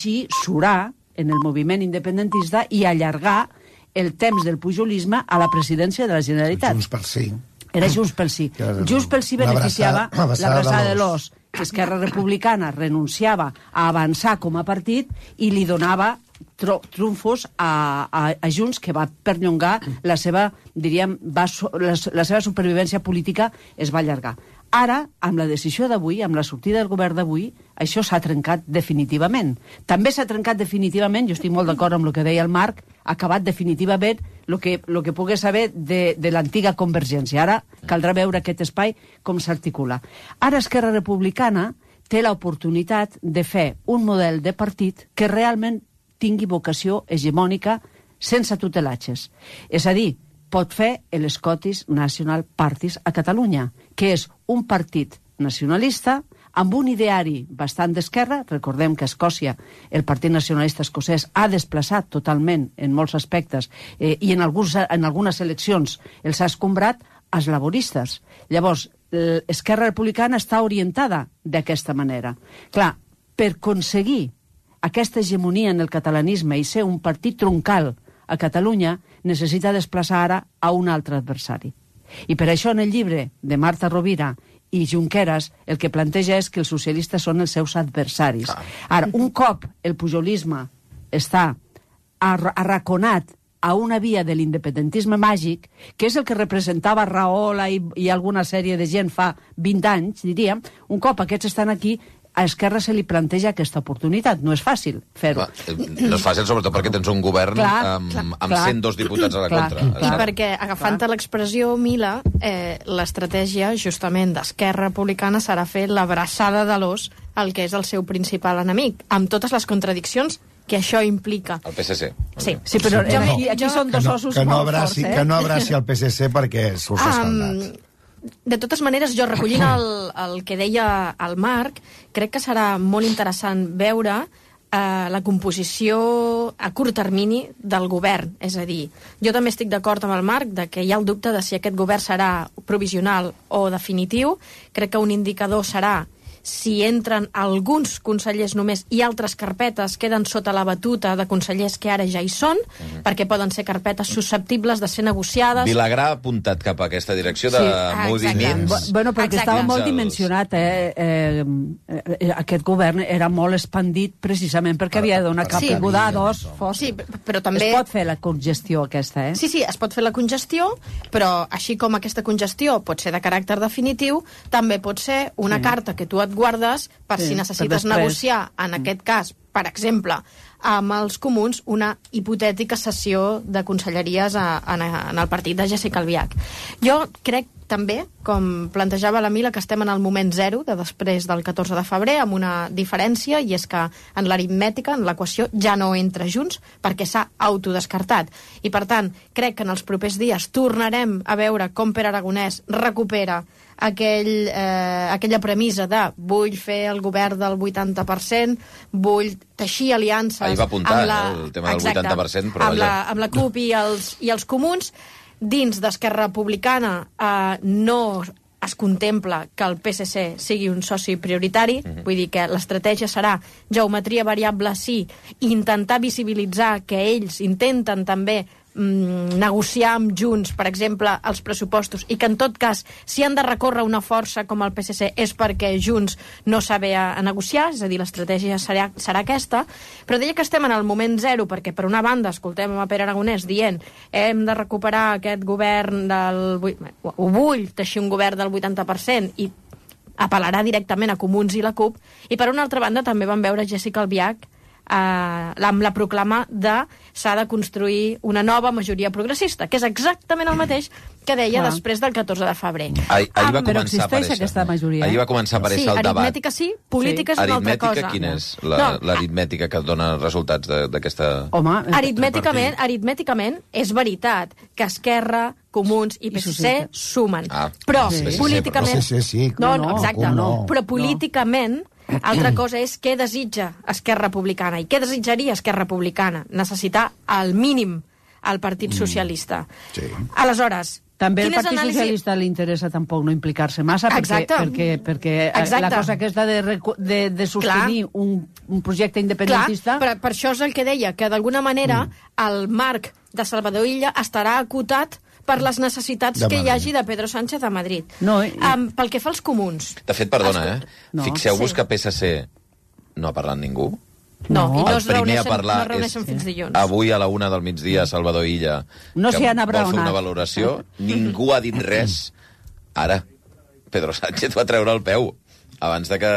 així surar en el moviment independentista i allargar el temps del pujolisme a la presidència de la Generalitat. Junts pel Sí. Era Junts pel Sí. Junts pel Sí beneficiava l'abraçada de l'os. Esquerra Republicana renunciava a avançar com a partit i li donava trumfos a Junts, que va perllongar la seva, diríem, la seva supervivència política es va allargar. Ara, amb la decisió d'avui, amb la sortida del govern d'avui, això s'ha trencat definitivament. També s'ha trencat definitivament, jo estic molt d'acord amb el que deia el Marc, ha acabat definitivament el que pogués saber de l'antiga Convergència. Ara caldrà veure aquest espai com s'articula. Ara Esquerra Republicana té l'oportunitat de fer un model de partit que realment tingui vocació hegemònica sense tutelatges. És a dir, pot fer l'Scottish National Parties a Catalunya, que és un partit nacionalista amb un ideari bastant d'esquerra. Recordem que a Escòcia el Partit Nacionalista Escocès ha desplaçat totalment en molts aspectes i en algunes eleccions els ha escombrat als laboristes. Llavors, l'Esquerra Republicana està orientada d'aquesta manera. Clar, per aconseguir aquesta hegemonia en el catalanisme i ser un partit troncal a Catalunya, necessita desplaçar ara a un altre adversari. I per això en el llibre de Marta Rovira i Junqueras el que planteja és que els socialistes són els seus adversaris. Ara, un cop el pujolisme està arraconat a una via de l'independentisme màgic, que és el que representava Rahola i alguna sèrie de gent fa 20 anys, diríem, un cop aquests estan aquí, a Esquerra se li planteja aquesta oportunitat. No és fàcil fer-ho. No és fàcil, sobretot perquè tens un govern amb 102 diputats a la contra. I perquè, agafant l'expressió Mila, l'estratègia, justament, d'Esquerra Republicana serà fer l'abraçada de l'os al que és el seu principal enemic, amb totes les contradiccions que això implica. El PSC. Sí, però aquí són dos ossos molt forts. Que no abraci el PSC perquè surt escaldat. De totes maneres, jo recollint el que deia el Marc, crec que serà molt interessant veure la composició a curt termini del govern. És a dir, jo també estic d'acord amb el Marc de que hi ha el dubte de si aquest govern serà provisional o definitiu. Crec que un indicador serà si entren alguns consellers només i altres carpetes queden sota la batuta de consellers que ara ja hi són, perquè poden ser carpetes susceptibles de ser negociades. Vilagrà ha apuntat cap a aquesta direcció de moviments. Bueno, perquè estava molt dimensionat, aquest govern era molt expandit precisament perquè havia de donar caiguda a dos forts. Sí, però també... Es pot fer la congestió aquesta, Sí, es pot fer la congestió, però així com aquesta congestió pot ser de caràcter definitiu, també pot ser una carta que tu et guardes per si necessites negociar, en aquest cas, per exemple, amb els comuns, una hipotètica cessió de conselleries en el partit de Jessica Albiach. Jo crec també, com plantejava la Mila, que estem en el moment zero de després del 14 de febrer, amb una diferència, i és que en l'aritmètica, en l'equació, ja no entra Junts perquè s'ha autodescartat. I, per tant, crec que en els propers dies tornarem a veure com Pere Aragonès recupera aquella premissa de vull fer el govern del 80%, vull teixir aliances... Ahir va apuntar el tema del 80%, però amb la CUP i els comuns. Dins d'Esquerra Republicana no es contempla que el PSC sigui un soci prioritari, vull dir que l'estratègia serà geometria variable sí, i intentar visibilitzar que ells intenten també negociar amb Junts, per exemple, els pressupostos, i que en tot cas, si han de recórrer una força com el PSC és perquè Junts no sabe a negociar, és a dir, l'estratègia serà aquesta, però deia que estem en el moment zero, perquè per una banda escoltem a Pere Aragonès dient hem de recuperar aquest govern o vull teixir un govern del 80% i apel·larà directament a Comuns i la CUP, i per una altra banda també vam veure Jessica Albiach amb la proclama de s'ha de construir una nova majoria progressista, que és exactament el mateix que deia després del 14 de febrer. Ahir va però existeix aquesta majoria. Ahir va començar a aparèixer el debat. Aritmètica sí, política és una altra cosa. Aritmètica, quina és l'aritmètica que dona resultats d'aquesta... Aritmèticament és veritat que Esquerra, Comuns i PSC sumen. Però políticament... Però políticament altra cosa és què desitja Esquerra Republicana i què desitjaria Esquerra Republicana. Necessitar al mínim el Partit Socialista. Aleshores, També el Partit Socialista li interessa tampoc no implicar-se massa, perquè la cosa aquesta de sostenir un projecte independentista... Clar, per això és el que deia, que d'alguna manera el marc de Salvador Illa estarà acotat per les necessitats que hi hagi de Pedro Sánchez a Madrid. Pel que fa als comuns... De fet, perdona, fixeu-vos que PSC no ha parlat ningú. No, i no es reuneixen fins dilluns. Avui a la 1 del migdia, Salvador Illa, no que vol fer una valoració, ningú ha dit res. Ara, Pedro Sánchez va treure el peu abans de que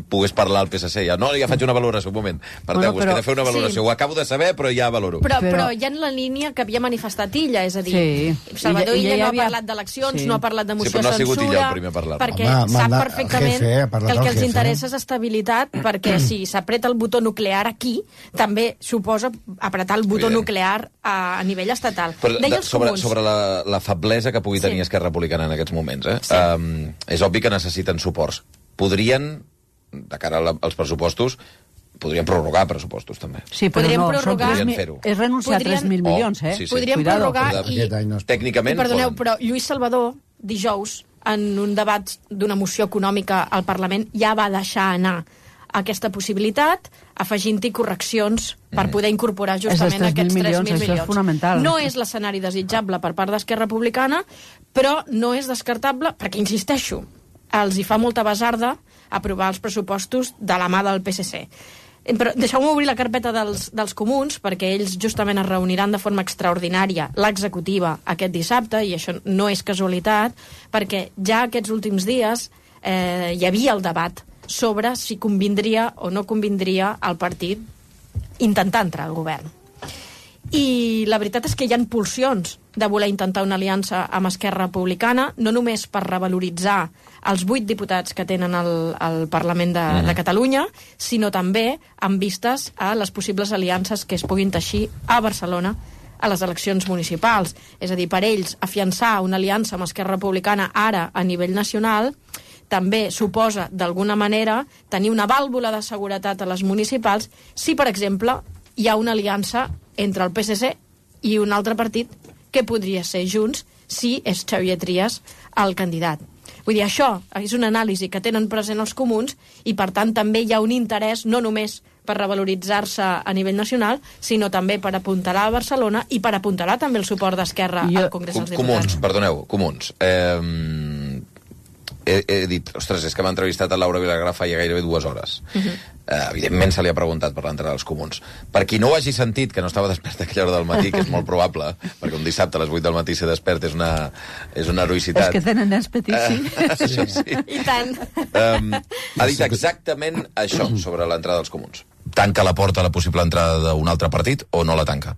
pogués parlar al PSC. Ja faig una valoració, un moment. Parteu-vos, que he de fer una valoració. Ho acabo de saber, però ja valoro. Però ja en la línia que havia manifestat Illa, és a dir, Salvador Illa no ha parlat d'eleccions, no ha parlat de moció de censura... Sí, però no ha sigut Illa el primer a parlar. Perquè sap perfectament que el que els interessa és estabilitat, perquè si s'apreta el botó nuclear aquí, també suposa apretar el botó nuclear a nivell estatal. Sobre la feblesa que pugui tenir Esquerra Republicana en aquests moments, és obvi que necessiten suports. Podrien, de cara als pressupostos, podrien prorrogar pressupostos, també. Sí, però podrien fer-ho. És renunciar a 3.000 milions, Podrien prorrogar tècnicament... Perdoneu, però Lluís Salvador, dijous, en un debat d'una moció econòmica al Parlament, ja va deixar anar aquesta possibilitat, afegint-hi correccions per poder incorporar justament aquests 3.000 milions. Això és fonamental. No és l'escenari desitjable per part d'Esquerra Republicana, però no és descartable, perquè, insisteixo, els hi fa molta basarda aprovar els pressupostos de la mà del PSC. Però deixeu-me obrir la carpeta dels comuns, perquè ells justament es reuniran de forma extraordinària, l'executiva, aquest dissabte, i això no és casualitat, perquè ja aquests últims dies hi havia el debat sobre si convindria o no convindria al partit intentar entrar al govern. I la veritat és que hi ha pulsions de voler intentar una aliança amb Esquerra Republicana, no només per revaloritzar els 8 diputats que tenen al Parlament de Catalunya, sinó també amb vistes a les possibles aliances que es puguin teixir a Barcelona a les eleccions municipals. És a dir, per ells, afiançar una aliança amb Esquerra Republicana ara a nivell nacional també suposa, d'alguna manera, tenir una vàlvula de seguretat a les municipals si, per exemple, hi ha una aliança entre el PSC i un altre partit que podria ser Junts si és Xavier Trias el candidat. Vull dir, això és una anàlisi que tenen present els comuns i, per tant, també hi ha un interès no només per revaloritzar-se a nivell nacional, sinó també per apuntalar a Barcelona i per apuntalar també el suport d'Esquerra al Congrés dels Diputats. Comuns. He dit, ostres, és que m'ha entrevistat a Laura Vilagrà ja gairebé 2 hores. Evidentment se li ha preguntat per l'entrada dels comuns. Per qui no ho hagi sentit, que no estava despert a aquella hora del matí, que és molt probable, perquè un dissabte a les 8 del matí ser despert és una heroïcitat. És que tenen nens petits, sí. Sí. I tant. Ha dit exactament això sobre l'entrada dels comuns. Tanca la porta a la possible entrada d'un altre partit o no la tanca?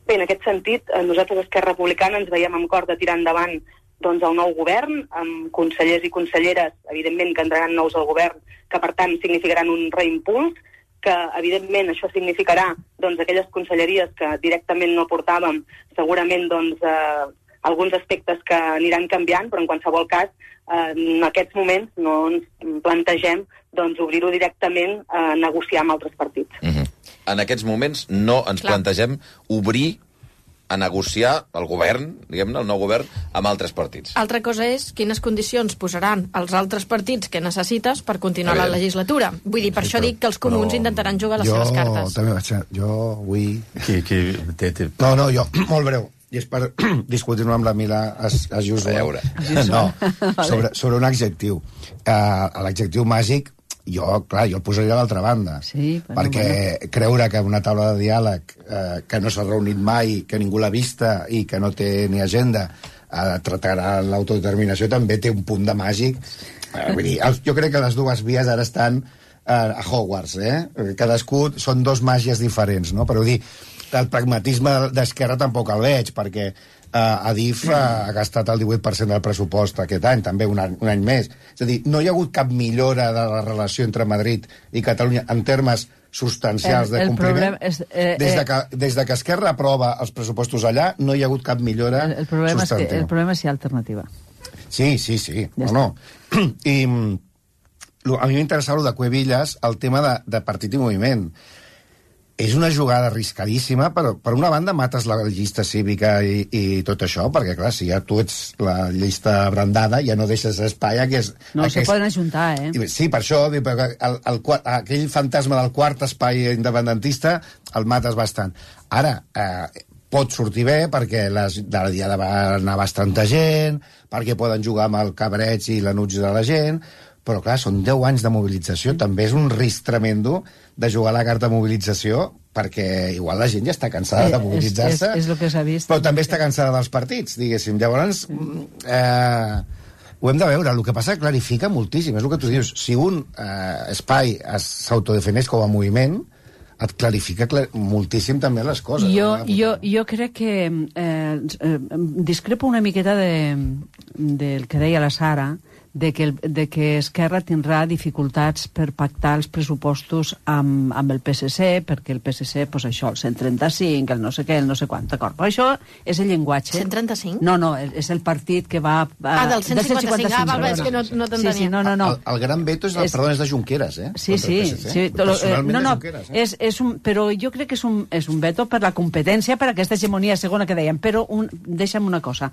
Bé, en aquest sentit, nosaltres, Esquerra Republicana, ens veiem amb cor de tirar endavant el nou govern, amb consellers i conselleres, evidentment, que entraran nous al govern, que, per tant, significaran un reimpuls, que, evidentment, això significarà aquelles conselleries que directament no portàvem, segurament, alguns aspectes que aniran canviant, però, en qualsevol cas, en aquests moments no ens plantegem obrir-ho directament a negociar amb altres partits. En aquests moments no ens plantegem obrir a negociar el govern, diguem-ne, el nou govern, amb altres partits. Altra cosa és quines condicions posaran els altres partits que necessites per continuar la legislatura. Vull dir, per això dic que els comuns intentaran jugar les seves cartes. Jo vull... No, jo, molt breu. I és per discutir-ho amb la Mila Ayuso. No, sobre un adjectiu. L'adjectiu màgic, jo el posaria a l'altra banda, perquè creure que una taula de diàleg que no s'ha reunit mai, que ningú l'ha vista i que no té ni agenda tractarà l'autodeterminació també té un punt de màgic. Vull dir, jo crec que les dues vies ara estan a Hogwarts, cadascú són 2 màgies diferents, no? Però dir, el pragmatisme d'Esquerra tampoc el veig, perquè Adif ha gastat el 18% del pressupost aquest any, també un any més. És a dir, no hi ha hagut cap millora de la relació entre Madrid i Catalunya en termes substancials de compliment. Des de que Esquerra aprova els pressupostos allà, no hi ha hagut cap millora substantiva. El problema és si hi ha alternativa. Sí. No. I a mi m'interessava el de Cuevillas, el tema de partit i moviment. és una jugada arriscadíssima, però per una banda mates la llista cívica i tot això, perquè clar, si ja tu ets la llista brandada, ja no deixes espai a que és... No, se poden ajuntar, Sí, per això, aquell fantasma del quart espai independentista el mates bastant. Ara, pot sortir bé perquè de la diada va anar bastanta gent, perquè poden jugar amb el cabreig i l'anuig de la gent, però clar, són 10 anys de mobilització, també és un risc tremendo de jugar a la carta de mobilització, perquè igual la gent ja està cansada de mobilitzar-se, és el que s'ha vist, però també està cansada dels partits, diguéssim. Llavors, ho hem de veure. El que passa que clarifica moltíssim, és el que tu dius. Si un espai s'autodefineix com a moviment, et clarifica moltíssim també les coses. Jo crec que discrepo una miqueta del que deia la Sara, de que Esquerra tindrà dificultats per pactar els pressupostos amb el PSC, perquè el PSC, doncs això, el 135, el no sé què, el no sé quant, d'acord? Però això és el llenguatge. 135? No, és el partit que va... del 155, val, és que no t'entenia. Sí, no. El gran veto és de Junqueras, eh? Sí. Però jo crec que és un veto per la competència, per aquesta hegemonia segona que dèiem, però deixa'm una cosa.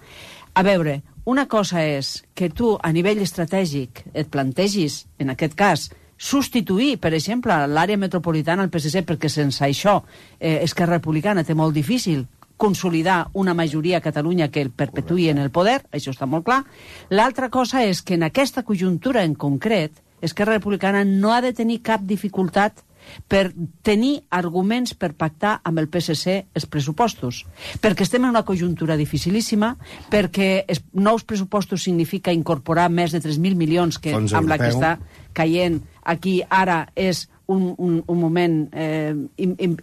A veure, una cosa és que tu, a nivell estratègic, et plantegis, en aquest cas, substituir, per exemple, l'àrea metropolitana al PSC, perquè sense això Esquerra Republicana té molt difícil consolidar una majoria a Catalunya que el perpetuï en el poder, això està molt clar. L'altra cosa és que en aquesta conjuntura en concret, Esquerra Republicana no ha de tenir cap dificultat per tenir arguments per pactar amb el PSC els pressupostos, perquè estem en una conjuntura dificilíssima, perquè nous pressupostos significa incorporar més de 3.000 milions que amb la que està caient aquí ara és un moment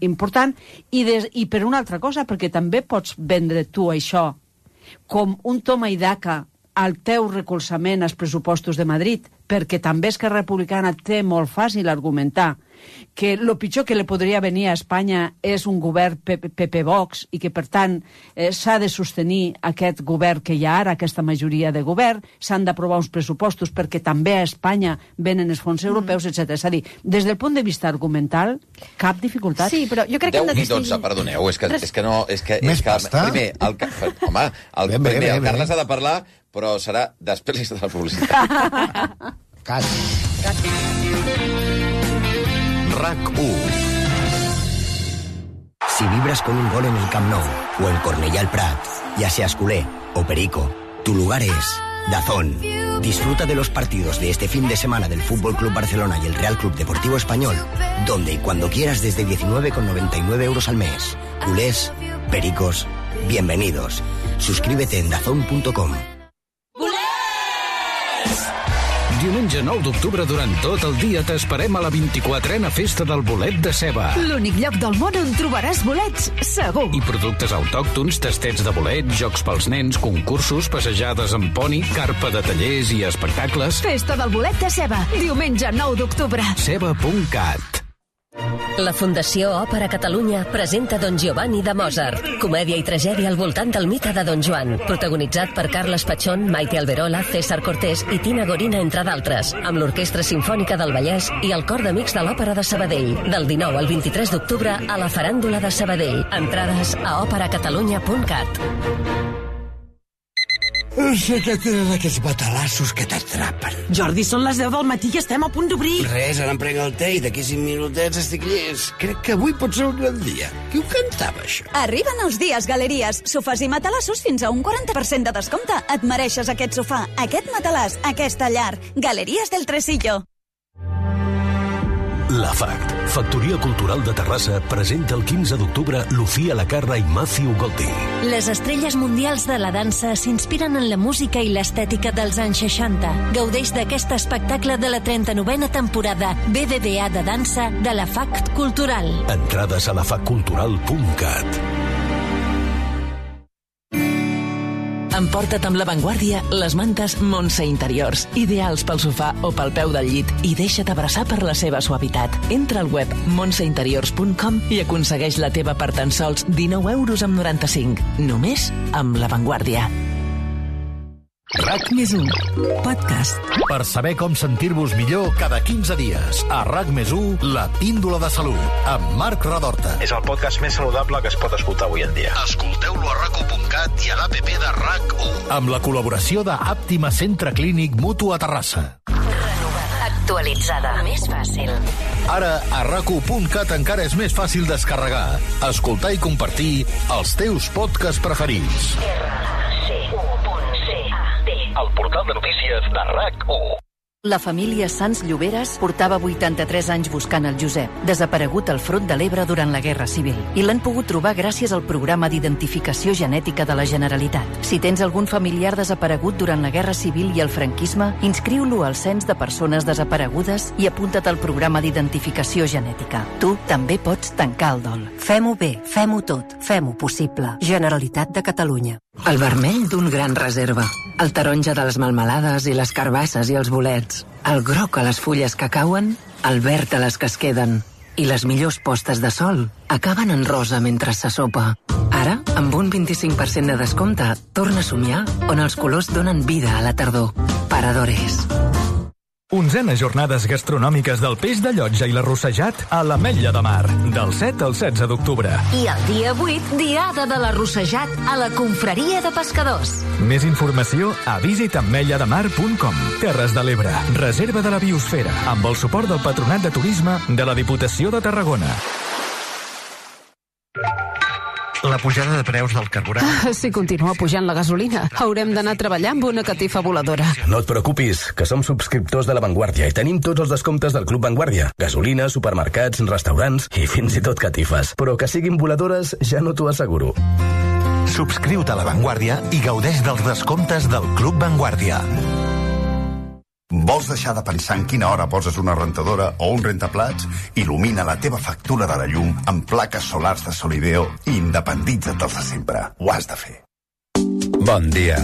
important, i per una altra cosa, perquè també pots vendre tu això com un toma i daca al teu recolzament als pressupostos de Madrid, perquè també Esquerra Republicana té molt fàcil argumentar que el pitjor que li podria venir a Espanya és un govern PP-Vox i que, per tant, s'ha de sostenir aquest govern que hi ha ara, aquesta majoria de govern, s'han d'aprovar uns pressupostos perquè també a Espanya venen els fons europeus, etc. És a dir, des del punt de vista argumental, cap dificultat. Sí, però jo crec que hem de distingir... 10 i 12, perdoneu, és que no... Més pasta? Primer, el Carles ha de parlar, però serà després de la publicitat. Cat. RAC1. Si vibras con un gol en el Camp Nou o en Cornellà al Prat, ya seas culé o perico, tu lugar es DAZN. Disfruta de los partidos de este fin de semana del Fútbol Club Barcelona y el Real Club Deportivo Español, donde y cuando quieras desde 19,99 euros al mes. Culés, pericos, bienvenidos. Suscríbete en dazn.com. Diumenge 9 d'octubre, durant tot el dia, t'esperem a la 24a Festa del Bolet de Ceba. L'únic lloc del món on trobaràs bolets, segur. I productes autòctons, tastets de bolet, jocs pels nens, concursos, passejades amb poni, carpa de tallers i espectacles. Festa del Bolet de Ceba, diumenge 9 d'octubre. Ceba.cat. La Fundació Òpera Catalunya presenta Don Giovanni de Mozart, comèdia i tragèdia al voltant del mite de Don Joan, protagonitzat per Carles Pachón, Maite Alberola, César Cortés i Tina Gorina, entre d'altres, amb l'Orquestra Simfònica del Vallès i el Cor d'Amics de l'Òpera de Sabadell, del 19 al 23 d'octubre a la Faràndula de Sabadell. Entrades a operacatalunya.cat. Sé que tenen aquests batalassos que t'atrapen. Jordi, són les 10 del matí i estem a punt d'obrir. Res, ara em prenc el té i d'aquí 5 minutets estic llest. Crec que avui pot ser un gran dia. Qui ho cantava, això? Arriben els dies Galeries. Sofàs i matalassos fins a un 40% de descompte. Et mereixes aquest sofà, aquest matalàs, aquesta llar. Galeries del Tresillo. La FACT, Factoria Cultural de Terrassa, presenta el 15 d'octubre Lucía Lacarra i Matthew Golding. Les estrelles mundials de la dansa s'inspiren en la música i l'estètica dels anys 60. Gaudeix d'aquest espectacle de la 39a temporada BBVA de dansa de la FACT Cultural. Entrades a lafactcultural.cat. Emporta't amb La Vanguardia les mantes Montse Interiors, ideals pel sofà o pel peu del llit, i deixa't abraçar per la seva suavitat. Entra al web montseinteriors.com i aconsegueix la teva per tan sols 19,95 €. Només amb La Vanguardia. RAC+1 Podcast. Per saber com sentir-vos millor cada 15 dies. A RAC+1, la píndola de salut, amb Marc Redorta. És el podcast més saludable que es pot escoltar avui en dia. Escolteu-lo a RAC1.cat i a l'APP de RAC1. Amb la col·laboració de Àptima Centre Clínic Mutu a Terrassa. Actualitzada. Més fàcil. Ara, a RAC1.cat encara és més fàcil descarregar, escoltar i compartir els teus podcasts preferits. El portal de notícies de RAC1. La família Sans Lloberes portava 83 anys buscant el Josep, desaparegut al front de l'Ebre durant la Guerra Civil, i l'han pogut trobar gràcies al programa d'identificació genètica de la Generalitat. Si tens algun familiar desaparegut durant la Guerra Civil i el franquisme, inscriu-lo al Cens de Persones Desaparegudes i apunta't al programa d'identificació genètica. Tu també pots tancar el dol. Fem-ho bé, fem-ho tot, fem-ho possible. Generalitat de Catalunya. El vermell d'un gran reserva, el taronja de les melmelades i les carbasses i els bolets, el groc a les fulles que cauen, el verd a les que es queden, i les millors postes de sol acaben en rosa mentre se sopa. Ara, amb un 25% de descompte, torna a somiar on els colors donen vida a la tardor. Paradores. 11a jornades gastronòmiques del peix de Llotja i l'arrossejat a l'Ametlla de Mar, del 7 al 16 d'octubre. I el dia 8, diada de l'arrossejat a la Confraria de Pescadors. Més informació a visitametllademar.com. Terres de l'Ebre, reserva de la biosfera, amb el suport del Patronat de Turisme de la Diputació de Tarragona. La pujada de preus del carburant. Si continua pujant la gasolina, haurem d'anar a treballar amb una catifa voladora. No et preocupis, que som subscriptors de La Vanguardia i tenim tots els descomptes del Club Vanguardia. Gasolina, supermercats, restaurants i fins i tot catifes. Però que siguin voladores ja no t'ho asseguro. Subscriu-te a La Vanguardia i gaudeix dels descomptes del Club Vanguardia. Vols deixar de pensar en quina hora poses una rentadora o un rentaplats? Il·lumina la teva factura de la llum amb plaques solars de Solideo i independitza't de sempre. Ho has de fer. Bon dia.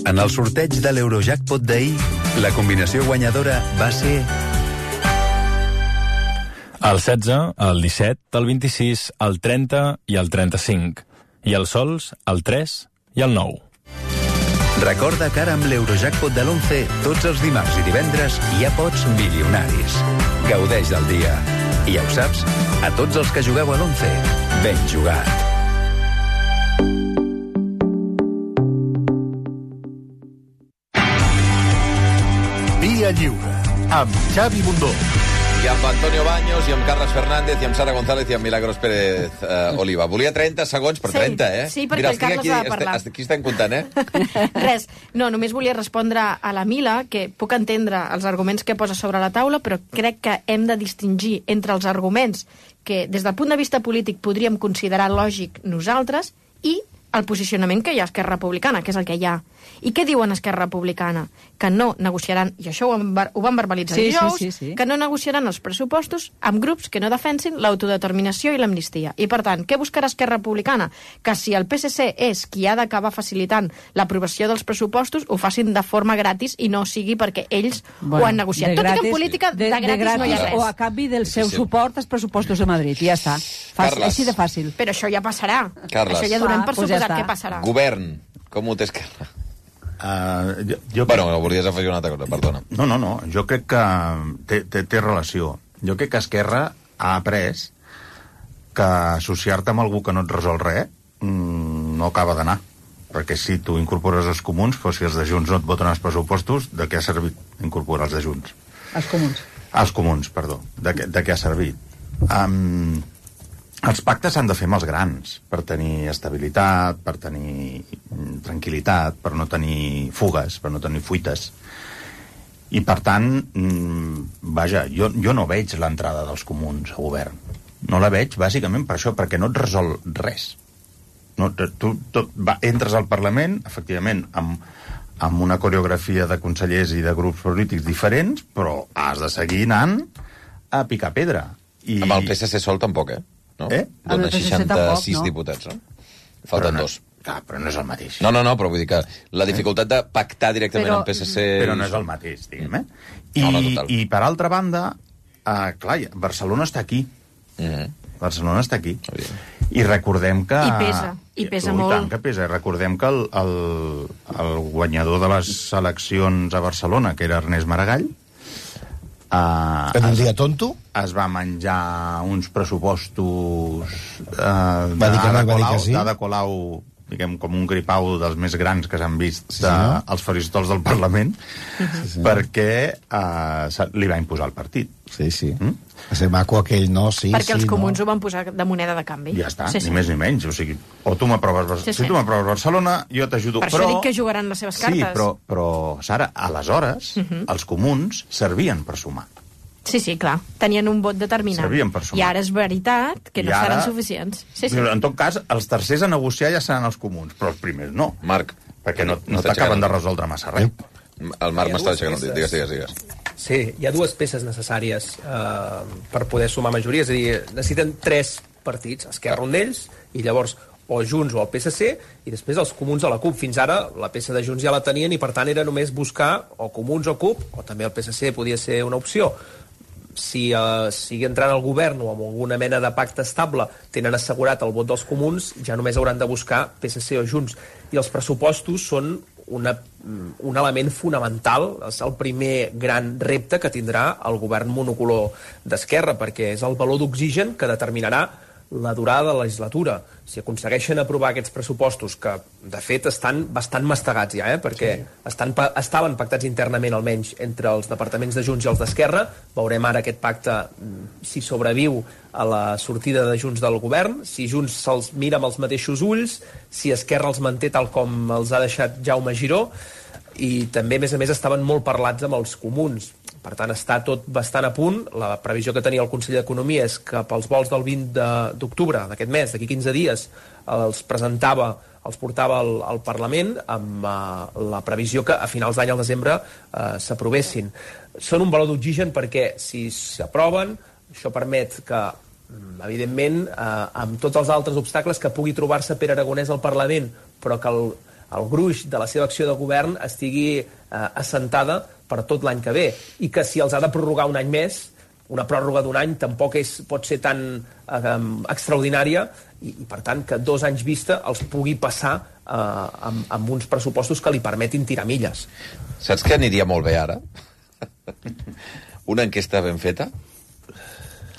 En el sorteig de l'Eurojackpot d'ahir, la combinació guanyadora va ser... El 16, el 17, el 26, el 30 i el 35. I els sols, el 3 i el 9. Recorda que ara amb l'Eurojackpot de l'11, tots els dimarts i divendres ja pots milionaris. Gaudeix del dia. I ja ho saps, a tots els que jugueu a l'11, ben jugat. Via Lliure, amb Xavi Bundó. I amb Antonio Baños, i amb Carles Fernández, i amb Sara González, i amb Milagros Pérez Oliva. Volia 30 segons per 30, eh? Sí, perquè el Carles ha de parlar. Aquí estem comptant, Res, no, només volia respondre a la Mila, que puc entendre els arguments que posa sobre la taula, però crec que hem de distingir entre els arguments que, des del punt de vista polític, podríem considerar lògic nosaltres i el posicionament que hi ha a Esquerra Republicana, que és el que hi ha. I què diuen Esquerra Republicana? Que no negociaran, i això ho van verbalitzar dijous, sí. Que no negociaran els pressupostos amb grups que no defensin l'autodeterminació i l'amnistia. I, per tant, què buscarà Esquerra Republicana? Que si el PSC és qui ha d'acabar facilitant l'aprovació dels pressupostos, ho facin de forma gratis i no sigui perquè ells ho han negociat. Tot i que en política de gratis no hi ha res. O a canvi del seu suport als pressupostos de Madrid. I ja està. Així de fàcil. Però això ja passarà. Carles. Això ja donem per suposat que passarà. Govern, com ho té Esquerra? Bueno, volies afegir una altra cosa, perdona. No, jo crec que té relació. Jo crec que Esquerra ha après que associar-te amb algú que no et resol res no acaba d'anar. Perquè si tu incorpores els comuns, però si els de Junts no et voten els pressupostos, de què ha servit incorporar els de Junts? Els comuns. Els comuns, perdó. De què ha servit? Els pactes s'han de fer amb els grans, per tenir estabilitat, per tenir tranquil·litat, per no tenir fugues, per no tenir fuites. I, per tant, vaja, jo no veig l'entrada dels comuns a govern. No la veig, bàsicament, per això, perquè no et resol res. Tu entres al Parlament, efectivament, amb una coreografia de consellers i de grups polítics diferents, però has de seguir anant a picar pedra. Amb el PSC sol tampoc, no? Dona 66 diputats, no? Falten dos. Clar, però no és el mateix. No, però vull dir que la dificultat de pactar directament amb PSC... Però no és el mateix, diguem, I per altra banda, clar, Barcelona està aquí. Barcelona està aquí. I recordem que... I pesa molt. I tant que pesa. Recordem que el guanyador de les eleccions a Barcelona, que era Ernest Maragall, en un dia tonto, es va menjar uns pressupostos d'Ada Colau, diguem, com un gripau dels més grans que s'han vist als faristols del Parlament, perquè li va imposar el partit. Sí. Va ser maco aquell, no? Sí, perquè els comuns ho van posar de moneda de canvi. Ja està, ni més ni menys. O sigui, o tu m'aproves si tu m'aproves Barcelona, jo t'ajudo. Per això dic que jugaran les seves cartes. Sí, però Sara, aleshores, els comuns servien per sumar. Sí, clar. Tenien un vot determinat. Servien per sumar. I ara és veritat que no seran suficients. Sí. En tot cas, els tercers a negociar ja seran els comuns, però els primers no. Marc. Perquè no t'acaben de resoldre massa res. El Marc m'està aixecant. Digues. Sí, hi ha dues peces necessàries per poder sumar majoria. És a dir, necessiten 3 partits, Esquerra un d'ells, i llavors o Junts o el PSC, i després els comuns de la CUP. Fins ara la peça de Junts ja la tenien i per tant era només buscar o comuns o CUP, o també el PSC podia ser una opció. Si entrant al govern o amb alguna mena de pacte estable tenen assegurat el vot dels comuns, ja només hauran de buscar PSC o Junts. I els pressupostos són un element fonamental, és el primer gran repte que tindrà el govern monocolor d'Esquerra, perquè és el valor d'oxigen que determinarà la durada de la legislatura. Si aconsegueixen aprovar aquests pressupostos, que de fet estan bastant mastegats ja, perquè estaven pactats internament almenys entre els departaments de Junts i els d'Esquerra, veurem ara aquest pacte si sobreviu a la sortida de Junts del govern, si Junts se'ls mira amb els mateixos ulls, si Esquerra els manté tal com els ha deixat Jaume Giró, i també, a més, estaven molt parlats amb els comuns. Per tant, està tot bastant a punt. La previsió que tenia el Consell d'Economia és que pels vols del 20 d'octubre d'aquest mes, d'aquí 15 dies, els portava al Parlament amb la previsió que a finals d'any, al desembre, s'aprovessin. Són un valor d'oxigen perquè, si s'aproven, això permet que, evidentment, amb tots els altres obstacles que pugui trobar-se Pere Aragonès al Parlament, però que el gruix de la seva acció de govern estigui assentada per tot l'any que ve, i que si els ha de prorrogar un any més, una pròrroga d'un any tampoc pot ser tan extraordinària, i per tant que 2 anys vista els pugui passar amb uns pressupostos que li permetin tirar milles. Saps què aniria molt bé ara? Una enquesta ben feta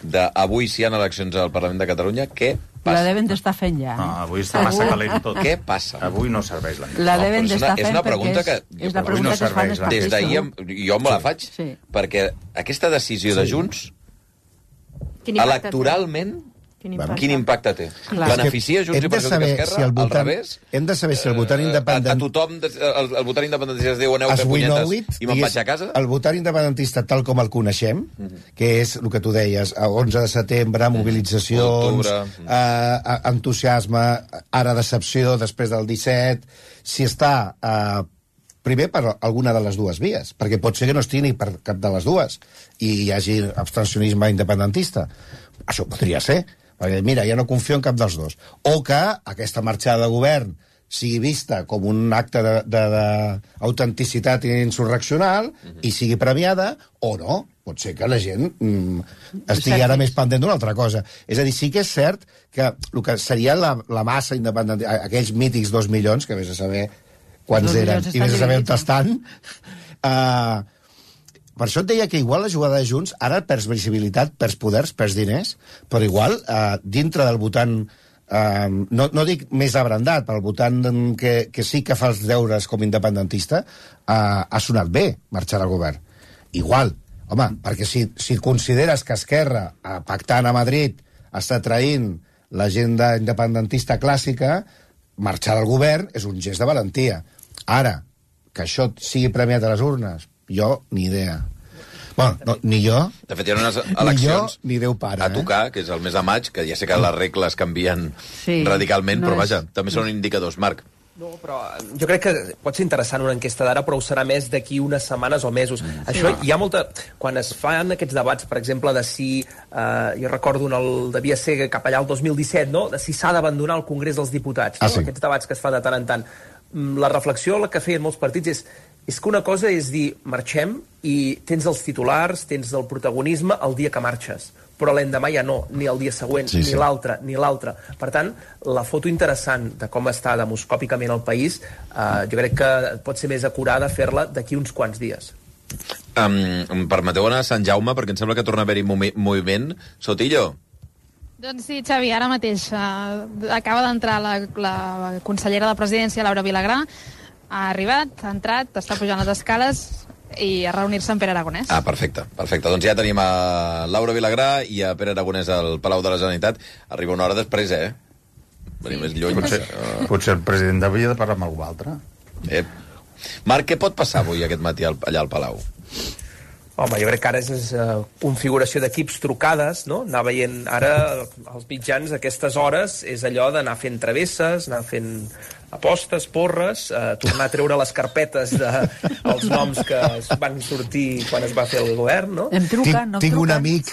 d'avui si hi ha eleccions al Parlament de Catalunya, què passa? La deben d'estar fent ja. No, avui està massa calent tot. Què passa? Avui no serveix l'enquesta. La deben d'estar fent perquè és la pregunta que es fan els partits. Des d'ahir jo me la faig, perquè aquesta decisió de Junts, electoralment, quin impacte té? Beneficia Junts i perjudica Esquerra? Al revés? Hem de saber si el votant independentista... A tothom, el votant independentista es diu aneu a fer punyetes i me'n vaig a casa? El votant independentista, tal com el coneixem, que és el que tu deies, 11 de setembre, mobilitzacions, entusiasme, ara decepció, després del 17... Si està... primer per alguna de les dues vies, perquè pot ser que no estigui ni per cap de les dues i hi hagi abstencionisme independentista. Això podria ser, perquè mira, ja no confio en cap dels dos. O que aquesta marxada de govern sigui vista com un acte d'autenticitat insurreccional i sigui premiada, o no. Pot ser que la gent estigui ara més pendent d'una altra cosa. És a dir, sí que és cert que el que seria la massa independentista, aquells mítics 2 milions, que vés a saber quants eren, i vés a saber on estan... Per això et deia que igual la jugada de Junts ara perds visibilitat, perds poders, perds diners, però igual dintre del votant, no dic més abrandat, però el votant que sí que fa els deures com independentista, ha sonat bé marxar al govern. Igual, home, perquè si consideres que Esquerra, pactant a Madrid, està traint l'agenda independentista clàssica, marxar al govern és un gest de valentia. Ara, que això sigui premiat a les urnes, jo, ni idea. Bueno, ni jo... De fet, hi ha unes eleccions ni Déu pare, a tocar, que és el mes de maig, que ja sé que les regles canvien radicalment, però vaja, també són indicadors. Marc. No, però jo crec que pot ser interessant una enquesta d'ara, però ho serà més d'aquí unes setmanes o mesos. Això hi ha molta... Quan es fan aquests debats, per exemple, de si... jo recordo devia ser cap allà el 2017, no?, de si s'ha d'abandonar el Congrés dels Diputats. No? Aquests debats que es fan de tant en tant. La reflexió que feien molts partits és que una cosa és dir, marxem i tens els titulars, tens el protagonisme el dia que marxes. però l'endemà ja no, ni el dia següent, ni l'altre, ni l'altre. Per tant, la foto interessant de com està demoscòpicament el país, jo crec que pot ser més acurada fer-la d'aquí uns quants dies. Em permeteu anar a Sant Jaume, perquè em sembla que torna a haver-hi moviment. Sotillo? Doncs sí, Xavi, ara mateix acaba d'entrar la consellera de Presidència, Laura Vilagrà, ha arribat, ha entrat, està pujant les escales i a reunir-se amb Pere Aragonès. Perfecte. Doncs ja tenim a Laura Vilagrà i a Pere Aragonès al Palau de la Generalitat. Arriba una hora després, Venir més lluny. Potser el president havia de parlar amb algú altre. Marc, què pot passar avui aquest matí allà al Palau? Home, jo crec que ara és configuració d'equips trucades, no? Anar veient ara els mitjans a aquestes hores és allò d'anar fent travesses, anar fent apostes, porres, tornar a treure les carpetes dels noms que van sortir quan es va fer el govern, no? Em truquen, tinc un amic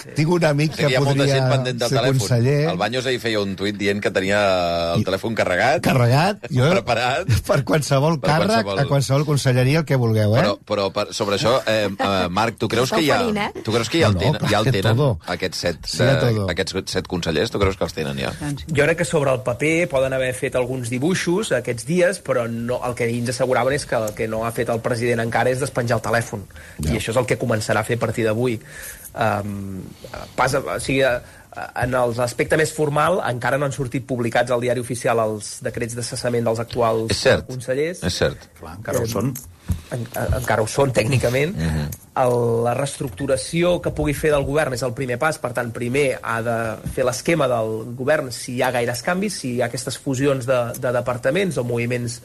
que podria ser conseller. El Baños ahir feia un tuit dient que tenia el telèfon carregat, preparat per qualsevol càrrec, a qualsevol conselleria, el que vulgueu, Però sobre això, Marc, tu creus que hi ha el tenen aquests 7 consellers? Tu creus que els tenen ja? Jo crec que sobre el paper poden haver fet alguns dibuixos aquests dies, però no, el que ens asseguraven és que el que no ha fet el president encara és despenjar el telèfon. I això és el que començarà a fer a partir d'avui. O sigui, en l'aspecte més formal encara no han sortit publicats al diari oficial els decrets de cessament dels actuals consellers. És cert. Clar, encara ho són. Encara ho són, tècnicament. La reestructuració que pugui fer del govern és el primer pas, per tant, primer ha de fer l'esquema del govern si hi ha gaires canvis, si hi ha aquestes fusions de departaments o moviments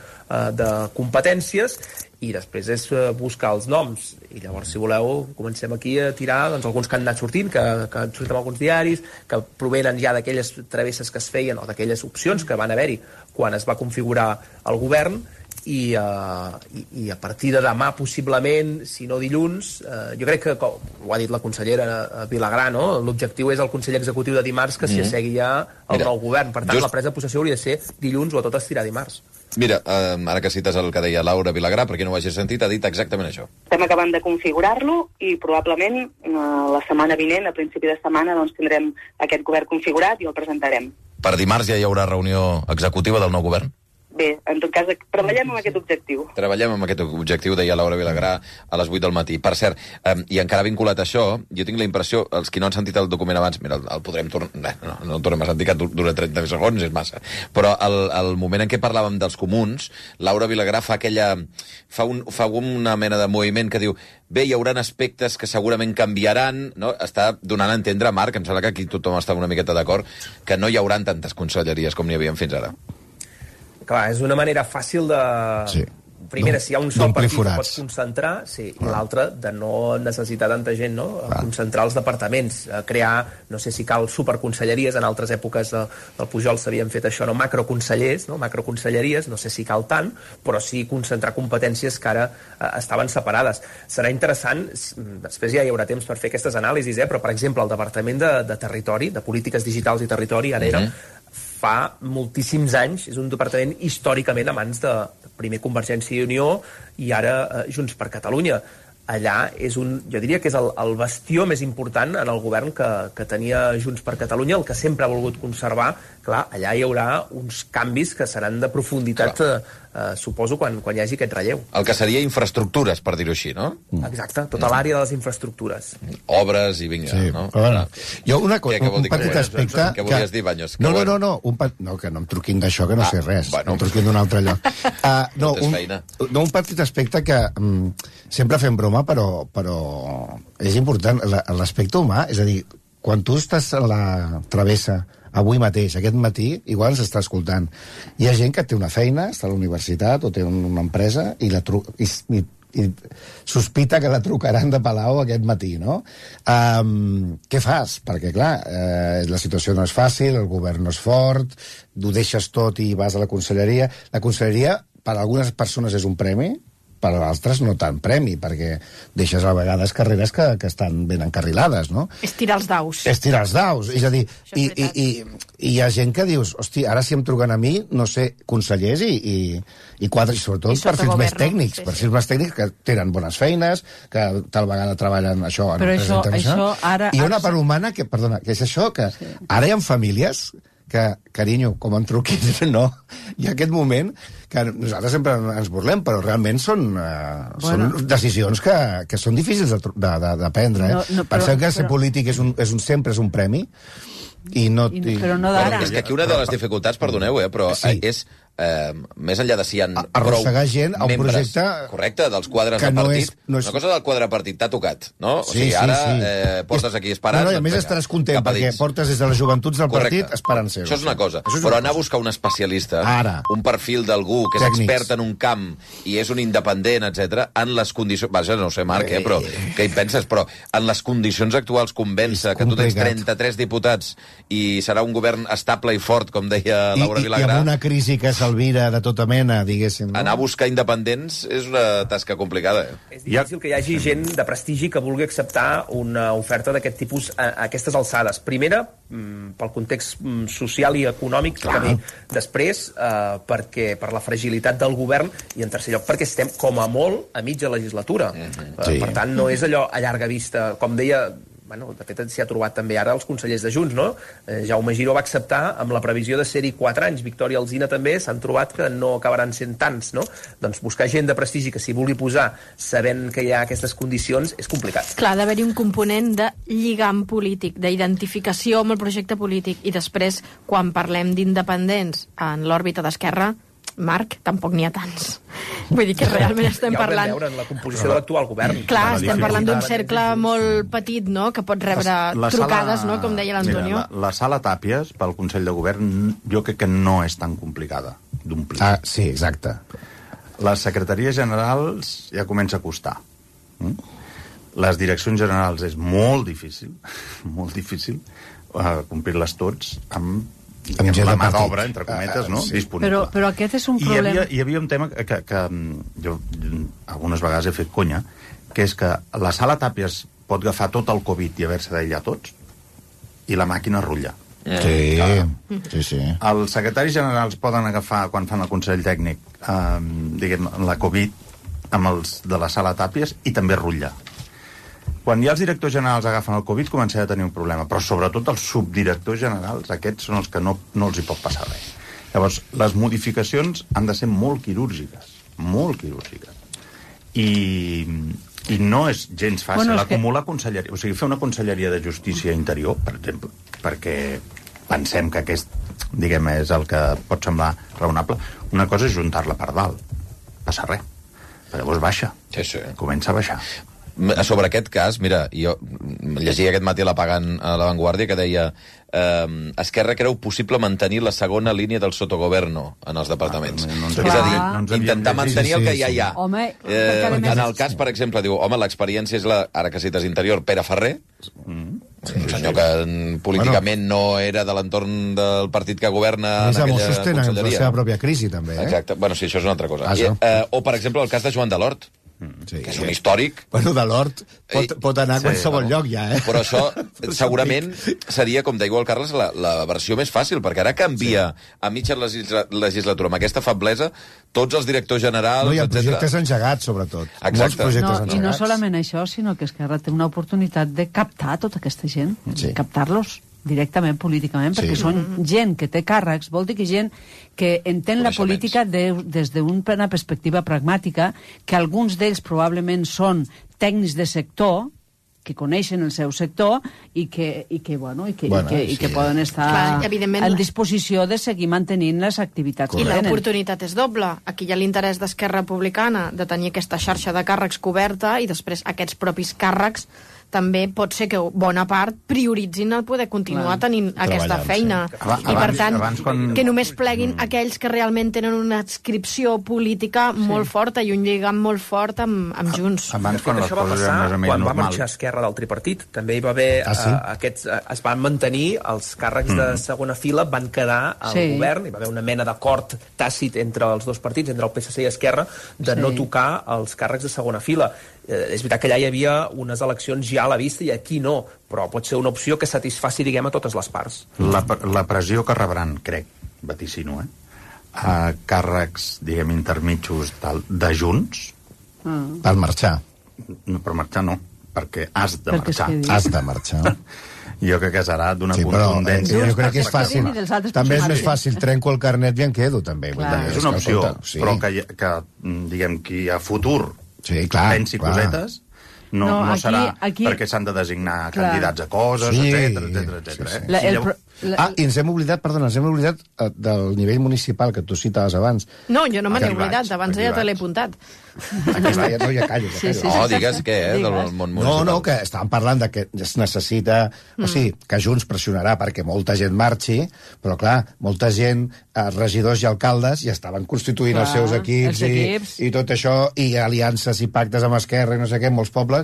de competències, i després és buscar els noms. I llavors, si voleu, comencem aquí a tirar alguns que han anat sortint, que han sortit en alguns diaris, que provenen ja d'aquelles travesses que es feien o d'aquelles opcions que van haver-hi quan es va configurar el govern, i a partir de demà, possiblement, si no dilluns, jo crec que, com ho ha dit la consellera Vilagrà, no? L'objectiu és el Consell Executiu de dimarts que s'hi assegui ja el nou govern. Per tant, la presa de possessió hauria de ser dilluns o a tot estirar dimarts. Mira, ara que cites el que deia Laura Vilagrà, per qui no ho hagi sentit, ha dit exactament això. Estem acabant de configurar-lo i probablement la setmana vinent, a principi de setmana, doncs tindrem aquest govern configurat i el presentarem. Per dimarts ja hi haurà reunió executiva del nou govern? Bé, en tot cas, treballem amb aquest objectiu. Treballem amb aquest objectiu, deia Laura Vilagrà a les 8 del matí. Per cert, i encara vinculat a això, jo tinc la impressió, els qui no han sentit el document abans, mira, el podrem tornar... No el tornem a sentir, que dura 30 segons, és massa. Però el moment en què parlàvem dels comuns, Laura Vilagrà fa una mena de moviment que diu bé, hi haurà aspectes que segurament canviaran, no? Està donant a entendre, Marc, em sembla que aquí tothom està una miqueta d'acord, que no hi haurà tantes conselleries com n'hi havia fins ara. Clar, és una manera fàcil de... Sí. Primera, si hi ha un sol partit que pots concentrar, i l'altra, de no necessitar tanta gent, no? Concentrar els departaments, crear, no sé si cal superconselleries, en altres èpoques del Pujol s'havien fet això, no? Macroconsellers, no? Macroconselleries, no sé si cal tant, però sí concentrar competències que ara estaven separades. Serà interessant, després ja hi haurà temps per fer aquestes anàlisis, però, per exemple, el Departament de Territori, de Polítiques Digitals i Territori, ara era... fa moltíssims anys, és un departament històricament a mans de primer Convergència i Unió i ara Junts per Catalunya. Allà és jo diria que és el bastió més important en el govern que tenia Junts per Catalunya, el que sempre ha volgut conservar. Clar, allà hi haurà uns canvis que seran de profunditat, suposo, quan hi hagi aquest relleu. El que seria infraestructures, per dir-ho així, no? Exacte, tota l'àrea de les infraestructures. Obres i vinga, no? Bueno, jo un petit aspecte... Què volies dir, Baños? No, que no em truquin d'això, que no sé res. No em truquin d'un altre lloc. Un petit aspecte que sempre fem broma, però és important, l'aspecte humà, és a dir, quan tu estàs a la travessa avui mateix, aquest matí, igual ens està escoltant. Hi ha gent que té una feina, està a la universitat o té una empresa i sospita que la trucaran de Palau aquest matí, no? Què fas? Perquè, clar, la situació no és fàcil, el govern no és fort, ho deixes tot i vas a la conselleria. La conselleria, per a algunes persones, és un premi, per altres no tant premi, perquè deixes a vegades carreres que estan ben encarrilades, no? És tirar els daus. És tirar els daus, és a dir, i hi ha gent que dius, hosti, ara si em truquen a mi, no sé, consellers i quadres, sobretot perfils més tècnics, perfils més tècnics que tenen bones feines, que tal vegada treballen això en empreses internacionals. I una part humana que, perdona, que és això, que ara hi ha famílies que, carinyo, com em truquis, no, hi ha aquest moment que nosaltres sempre ens burlem, però realment són decisions que són difícils de prendre. Pensem que ser polític sempre és un premi, i no... Però no d'ara. És que aquí una de les dificultats, perdoneu, però és... més enllà de si hi ha arrossegar gent a un projecte correcte dels quadres de partit, una cosa del quadre de partit t'ha tocat, no? O sigui, ara portes aquí esperant, a més estaràs content perquè portes des de les joventuts del partit esperant ser-ho. Això és una cosa, però anar a buscar un especialista, un perfil d'algú que és expert en un camp i és un independent, etc, en les condicions, vaja, no sé, Marc, però què hi penses? Però en les condicions actuals convèncer que tu tens 33 diputats i serà un govern estable i fort, com deia Laura Vilagrà, i amb una crisi que s'alvira de tota mena, diguéssim. No? Anar a buscar independents és una tasca complicada. És difícil que hi hagi gent de prestigi que vulgui acceptar una oferta d'aquest tipus a aquestes alçades. Primera, pel context social i econòmic que ve després, perquè per la fragilitat del govern, i en tercer lloc perquè estem com a molt a mitja legislatura. Per tant, no és allò a llarga vista, com deia... de fet, s'hi ha trobat també ara els consellers de Junts, no? Jaume Giró va acceptar amb la previsió de ser-hi 4 anys. Victòria Alsina també s'han trobat que no acabaran sent tants, no? Doncs buscar gent de prestigi que s'hi vulgui posar sabent que hi ha aquestes condicions és complicat. Clar, ha d'haver-hi un component de lligam polític, d'identificació amb el projecte polític, i després, quan parlem d'independents en l'òrbita d'Esquerra, Marc, tampoc n'hi ha tants. Vull dir que realment estem parlant... Ja ho vam veure en la composició de l'actual govern. Clar, estem parlant d'un cercle molt petit, no?, que pot rebre trucades, no?, com deia l'Antonio. La sala Tàpies, pel Consell de Govern, jo crec que no és tan complicada d'omplir. Sí, exacte. Les secretaries generals ja comença a costar. Les direccions generals és molt difícil complir-les tots amb la mà d'obra, entre cometes, no? Disponible. Però aquest és un problema... Hi havia un tema que jo algunes vegades he fet conya, que és que la sala Tàpies pot agafar tot el Covid i haver-se d'aïllar tots, i la màquina rutlla. Sí. Els secretaris generals poden agafar, quan fan el Consell Tècnic, diguem, la Covid amb els de la sala Tàpies i també rutlla. Quan ja els directors generals agafen el Covid començarà a tenir un problema, però sobretot els subdirectors generals, aquests són els que no els hi pot passar res. Llavors, les modificacions han de ser molt quirúrgiques. I no és gens fàcil acumular conselleria, o sigui, fer una conselleria de Justícia Interior, per exemple, perquè pensem que aquest, diguem, és el que pot semblar raonable. Una cosa és juntar-la per dalt, passa res, però llavors baixa, comença a baixar. Sobre aquest cas, mira, jo llegia aquest matí a La Vanguardia que deia Esquerra creu possible mantenir la segona línia del sotogoverno en els departaments. És a dir, intentar mantenir el que ja hi ha. En el cas, per exemple, diu, home, l'experiència és la, ara que cites Interior, Pere Ferrer, un senyor que políticament no era de l'entorn del partit que governa en aquella conselleria. Sostenen la seva pròpia crisi, també. Exacte, bueno, sí, això és una altra cosa. O, per exemple, el cas de Joan Delort, que és un històric. Bueno, de l'Hort pot anar a qualsevol lloc ja, Però això segurament seria, com deia el Carles, la versió més fàcil, perquè ara canvia a mitja legislatura amb aquesta feblesa tots els directors generals, etc. No, hi ha projectes engegats, sobretot. Molts projectes engegats. I no solament això, sinó que Esquerra té una oportunitat de captar tota aquesta gent, captar-los directament políticament, perquè són gent que té càrrecs, vol dir que gent que entén la política des d'una perspectiva pragmàtica, que alguns d'ells probablement són tècnics de sector, que coneixen el seu sector i que poden estar en disposició de seguir mantenint les activitats. I l'oportunitat és doble. Aquí hi ha l'interès d'Esquerra Republicana de tenir aquesta xarxa de càrrecs coberta i després aquests propis càrrecs també pot ser que bona part prioritzin el poder continuar tenint aquesta feina. I per tant, que només pleguin aquells que realment tenen una adscripció política molt forta i un lligam molt fort amb Junts. Abans, quan això va passar, quan va marxar Esquerra del tripartit, també hi va haver es van mantenir els càrrecs de segona fila, van quedar al govern, hi va haver una mena d'acord tàcit entre els dos partits, entre el PSC i Esquerra, de no tocar els càrrecs de segona fila. És veritat que allà hi havia unes eleccions ja a la vista i aquí no, però pot ser una opció que satisfaci, diguem, a totes les parts. La pressió que rebran, crec, vaticino, a càrrecs, diguem, intermitjos de Junts... Per marxar. No, per marxar no, perquè has de marxar. Has de marxar. Jo crec que serà d'una contundència. Jo crec que és fàcil. També és més fàcil, trenco el carnet i en quedo, també. És una opció, però que diguem, qui a futur pensi cosetes, no serà perquè s'han de designar candidats a coses, etc. I ens hem oblidat del nivell municipal que tu citaves abans. No, jo no me n'he oblidat, abans ja te l'he apuntat. Ja callo. Digues què, del món municipal. No, que estàvem parlant de que es necessita... O sigui, que Junts pressionarà perquè molta gent marxi, però clar, molta gent, regidors i alcaldes, ja estaven constituint els seus equips i tot això, i aliances i pactes amb Esquerra i no sé què, en molts pobles.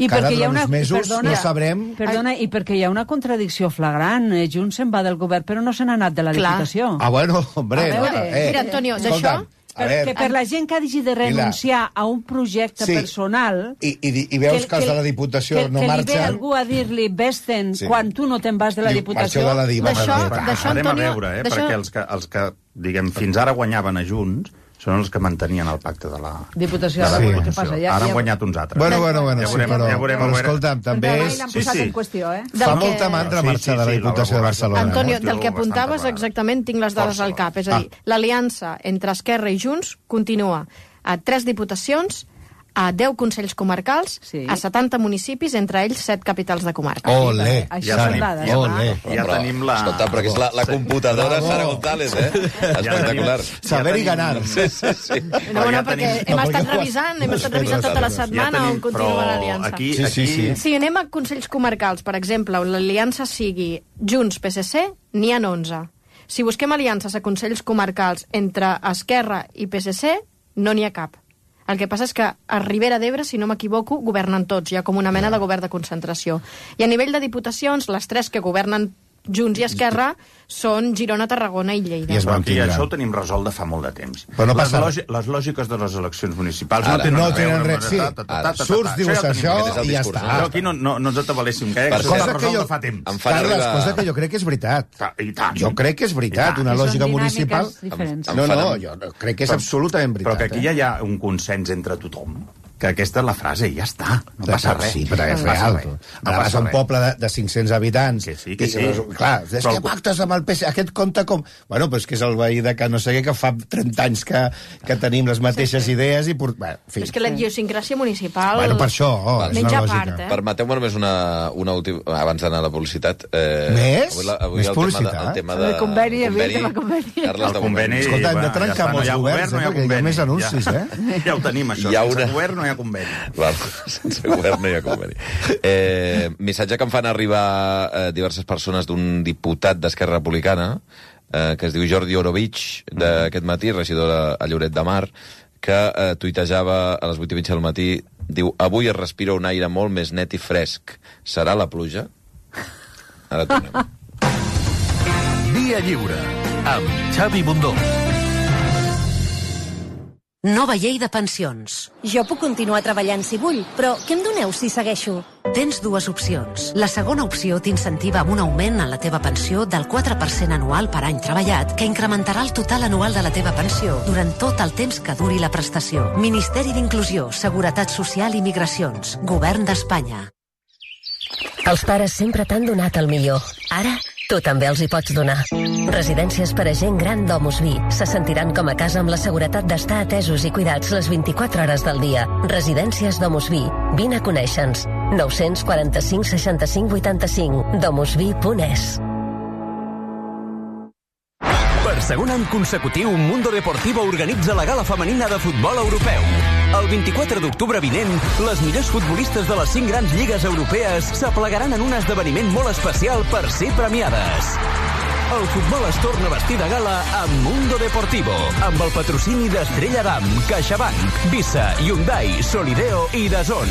I cada uns mesos no sabrem... Perdona, i perquè hi ha una contradicció flagrant. Junts se'n va del govern, però no se n'ha anat de la Diputació. Bueno, hombre... Mira, Antonio, d'això... Que per la gent que hagi de renunciar a un projecte personal... I veus que els de la Diputació no marxen... Que li ve algú a dir-li vés-te'n quan tu no te'n vas de la Diputació... D'això, Antonio... Anem a veure, perquè els que, diguem, fins ara guanyaven a Junts són els que mantenien el pacte de la Diputació. Què passa? Ara han guanyat uns altres. Bueno, però escolta'm, també és... Fa molta mandra marxar de la Diputació de Barcelona. Antonio, del que apuntaves exactament tinc les dades al cap. És a dir, l'aliança entre Esquerra i Junts continua a 3 diputacions, a 10 consells comarcals, a 70 municipis, entre ells 7 capitals de comarca. Olé! Ja tenim la... Escolta, però que és la computadora Sara González, Espectacular. Saber i ganar. No, perquè hem estat revisant tota la setmana on continua l'aliança. Si anem a consells comarcals, per exemple, on l'aliança sigui Junts-PSC, n'hi ha 11. Si busquem aliances a consells comarcals entre Esquerra i PSC, no n'hi ha cap. El que passa és que a Ribera d'Ebre, si no m'equivoco, governen tots, hi ha com una mena de govern de concentració. I a nivell de diputacions, les 3 que governen Junts i Esquerra són Girona, Tarragona i Lleida. I això ho tenim resolt de fa molt de temps. Però no passa les lògiques de les eleccions municipals no tenen res. Surts, dius això i ja està. Però aquí no ens atabaléssim gaire, que s'ha resolt de fa temps. Carles, cosa que jo crec que és veritat. Jo crec que és veritat, una lògica municipal... No, jo crec que és absolutament veritat. Però que aquí ja hi ha un consens entre tothom, que aquesta és la frase i ja està, no passa res. Sí, però és real. Ara vas a un poble de 500 habitants. Que sí. Clar, és que pactes amb el PC, aquest compte com... Bueno, però és que és el veí de que no sé què, que fa 30 anys que tenim les mateixes idees i... És que la idiosincràsia municipal... Bueno, per això, és una lògica. Permeteu-me només una última... Abans d'anar a la publicitat... Més? Més publicitat? El tema de... El conveni, Carles, el conveni... Escolta, hem de trencar molts governs, perquè hi ha més anuncis, Ja ho tenim, això. Sense govern no hi ha conveni. Sense govern no hi ha conveni. Missatge que em fan arribar diverses persones d'un diputat d'Esquerra Republicana, que es diu Jordi Orovich, d'aquest matí, regidor a Lloret de Mar, que tuitejava a les 8:30 del matí, diu: avui es respira un aire molt més net i fresc. Serà la pluja? Ara tornem. Via Lliure, amb Xavi Bundó. Nova llei de pensions. Jo puc continuar treballant si vull, però què em doneu si segueixo? Tens 2 opcions. La segona opció t'incentiva amb un augment en la teva pensió del 4% anual per any treballat, que incrementarà el total anual de la teva pensió durant tot el temps que duri la prestació. Ministeri d'Inclusió, Seguretat Social i Migracions. Govern d'Espanya. Els pares sempre t'han donat el millor. Ara, tu també els hi pots donar. Residències per a gent gran Domus Vi se sentiran com a casa amb la seguretat d'estar atesos i cuidats les 24 hores del dia. Residències Domus Vi. Vine a conèixer-nos. 945 65 85. domusvi.es. Per segon any consecutiu, Mundo Deportivo organitza la gala femenina de futbol europeu. El 24 d'octubre vinent, les millors futbolistes de les 5 grans lligues europees s'aplegaran en un esdeveniment molt especial per ser premiades. El futbol es torna a vestir de gala amb Mundo Deportivo, amb el patrocini d'Estrella Damm, CaixaBank, Visa, Hyundai, Solideo i DAZN.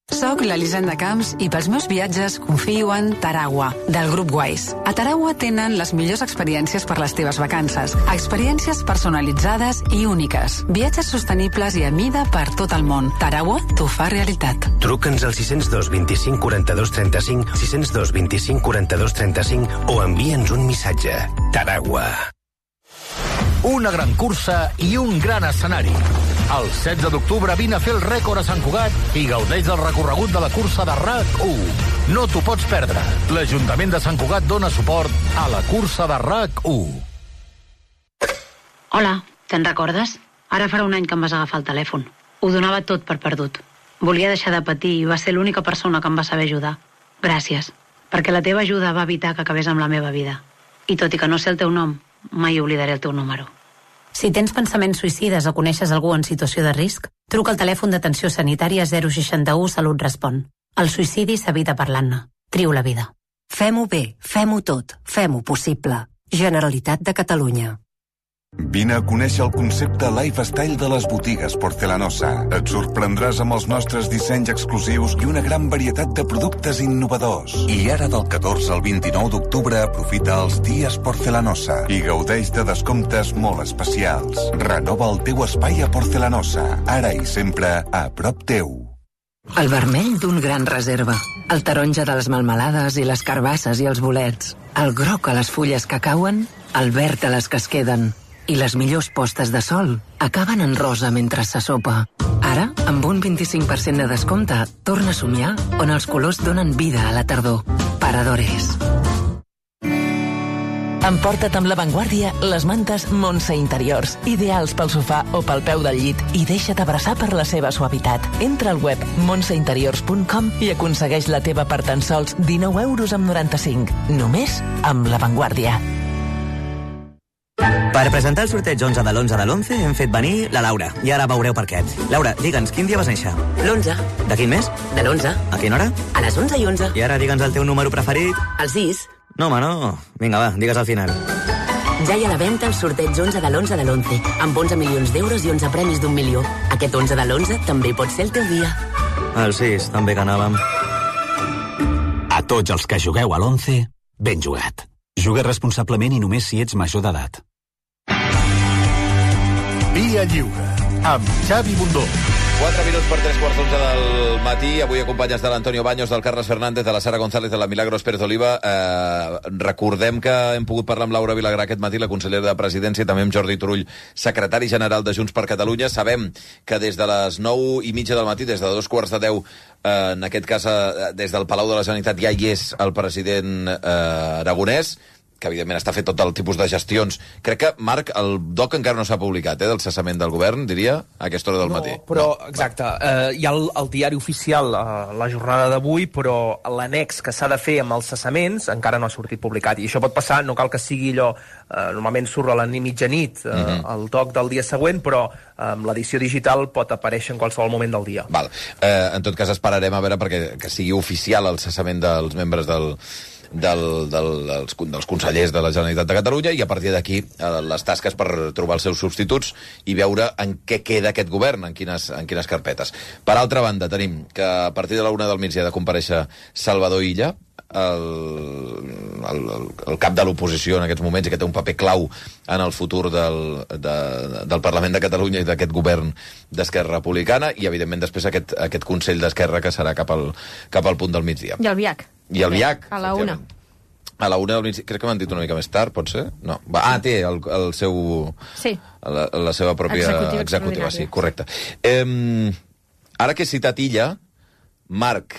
Soc l'Elisenda Camps i pels meus viatges confio en Taragua, del grup Wise. A Taragua tenen les millors experiències per les teves vacances. Experiències personalitzades i úniques. Viatges sostenibles i a mida per tot el món. Taragua t'ho fa realitat. Truca'ns al 602 25 42 35, 602 25 42 35 o envia'ns un missatge. Taragua. Una gran cursa i un gran escenari. El 16 d'octubre vine a fer el rècord a Sant Cugat i gaudeix del recorregut de la cursa de RAC1. No t'ho pots perdre. L'Ajuntament de Sant Cugat dona suport a la cursa de RAC1. Hola, te'n recordes? Ara farà un any que em vas agafar el telèfon. Ho donava tot per perdut. Volia deixar de patir i va ser l'única persona que em va saber ajudar. Gràcies, perquè la teva ajuda va evitar que acabés amb la meva vida. I tot i que no sé el teu nom, mai oblidaré el teu número. Si tens pensaments suïcides o coneixes algú en situació de risc, truca al telèfon d'atenció sanitària 061 Salut Respon. El suïcidi s'evita parlant-ne. Triu la vida. Fem-ho bé, fem-ho tot, fem-ho possible. Generalitat de Catalunya. Vine a conèixer el concepte lifestyle de les botigues Porcelanosa. Et sorprendràs amb els nostres dissenys exclusius i una gran varietat de productes innovadors. I ara del 14 al 29 d'octubre aprofita els dies Porcelanosa i gaudeix de descomptes molt especials. Renova el teu espai a Porcelanosa, ara i sempre a prop teu. El vermell d'un gran reserva, el taronja de les melmelades i les carbasses i els bolets, el groc a les fulles que cauen, el verd a les que es queden. I les millors postes de sol acaben en rosa mentre se sopa. Ara, amb un 25% de descompte, torna a somiar on els colors donen vida a la tardor. Paradores. Emporta't amb La Vanguardia les mantes Montse Interiors, ideals pel sofà o pel peu del llit, i deixa't abraçar per la seva suavitat. Entra al web montseinteriors.com i aconsegueix la teva per tan sols 19,95 €. Només amb La Vanguardia. Per presentar el sorteig 11 de l'11 de l'11 hem fet venir la Laura, i ara veureu per què. Laura, digue'ns, quin dia vas néixer? L'11. De quin mes? De l'11. A quina hora? A les 11:11. I ara digue'ns el teu número preferit. El 6. No, home, no. Vinga, va, digues al final. Ja hi ha a la venda el sorteig 11 de l'11 de l'11, amb 11 milions d'euros i 11 premis d'1 milió. Aquest 11 de l'11 també pot ser el teu dia. El 6, també que anàvem. A tots els que jugueu a l'11, ben jugat. Juga responsablement i només si ets major d'edat. Via Lliure, amb Xavi Bundó. 4 minuts per 3:15 del matí. Avui acompanyes de l'Antonio Baños, del Carles Fernández, de la Sara González, de la Milagros Pérez Oliva. Recordem que hem pogut parlar amb Laura Vilagrà aquest matí, la consellera de Presidència, i també amb Jordi Turull, secretari general de Junts per Catalunya. Sabem que des de les 9:30 del matí, des de 2:45, en aquest cas des del Palau de la Generalitat, ja hi és el president Aragonès, que evidentment està fet tot el tipus de gestions. Crec que, Marc, el doc encara no s'ha publicat, del cessament del govern, diria, a aquesta hora del matí. Però, exacte, hi ha el diari oficial la jornada d'avui, però l'annex que s'ha de fer amb els cessaments encara no ha sortit publicat, i això pot passar, no cal que sigui allò, normalment surt a la mitjanit, el doc del dia següent, però amb l'edició digital pot aparèixer en qualsevol moment del dia. Val. En tot cas, esperarem a veure perquè que sigui oficial el cessament dels membres dels consellers de la Generalitat de Catalunya, i a partir d'aquí les tasques per trobar els seus substituts i veure en què queda aquest govern, en quines carpetes. Per altra banda, tenim que a partir de la 1 del migdia ha de comparèixer Salvador Illa, el cap de l'oposició en aquests moments, i que té un paper clau en el futur del Parlament de Catalunya i d'aquest govern d'Esquerra Republicana, i evidentment després aquest Consell d'Esquerra que serà cap al punt del migdia. I el VIAC. I el VIAC. A la 1. A la 1 del migdia. Crec que m'han dit una mica més tard, pot ser? No. Té el seu... Sí. La seva pròpia executiva, sí, correcte. Ara que he citat Illa, Marc,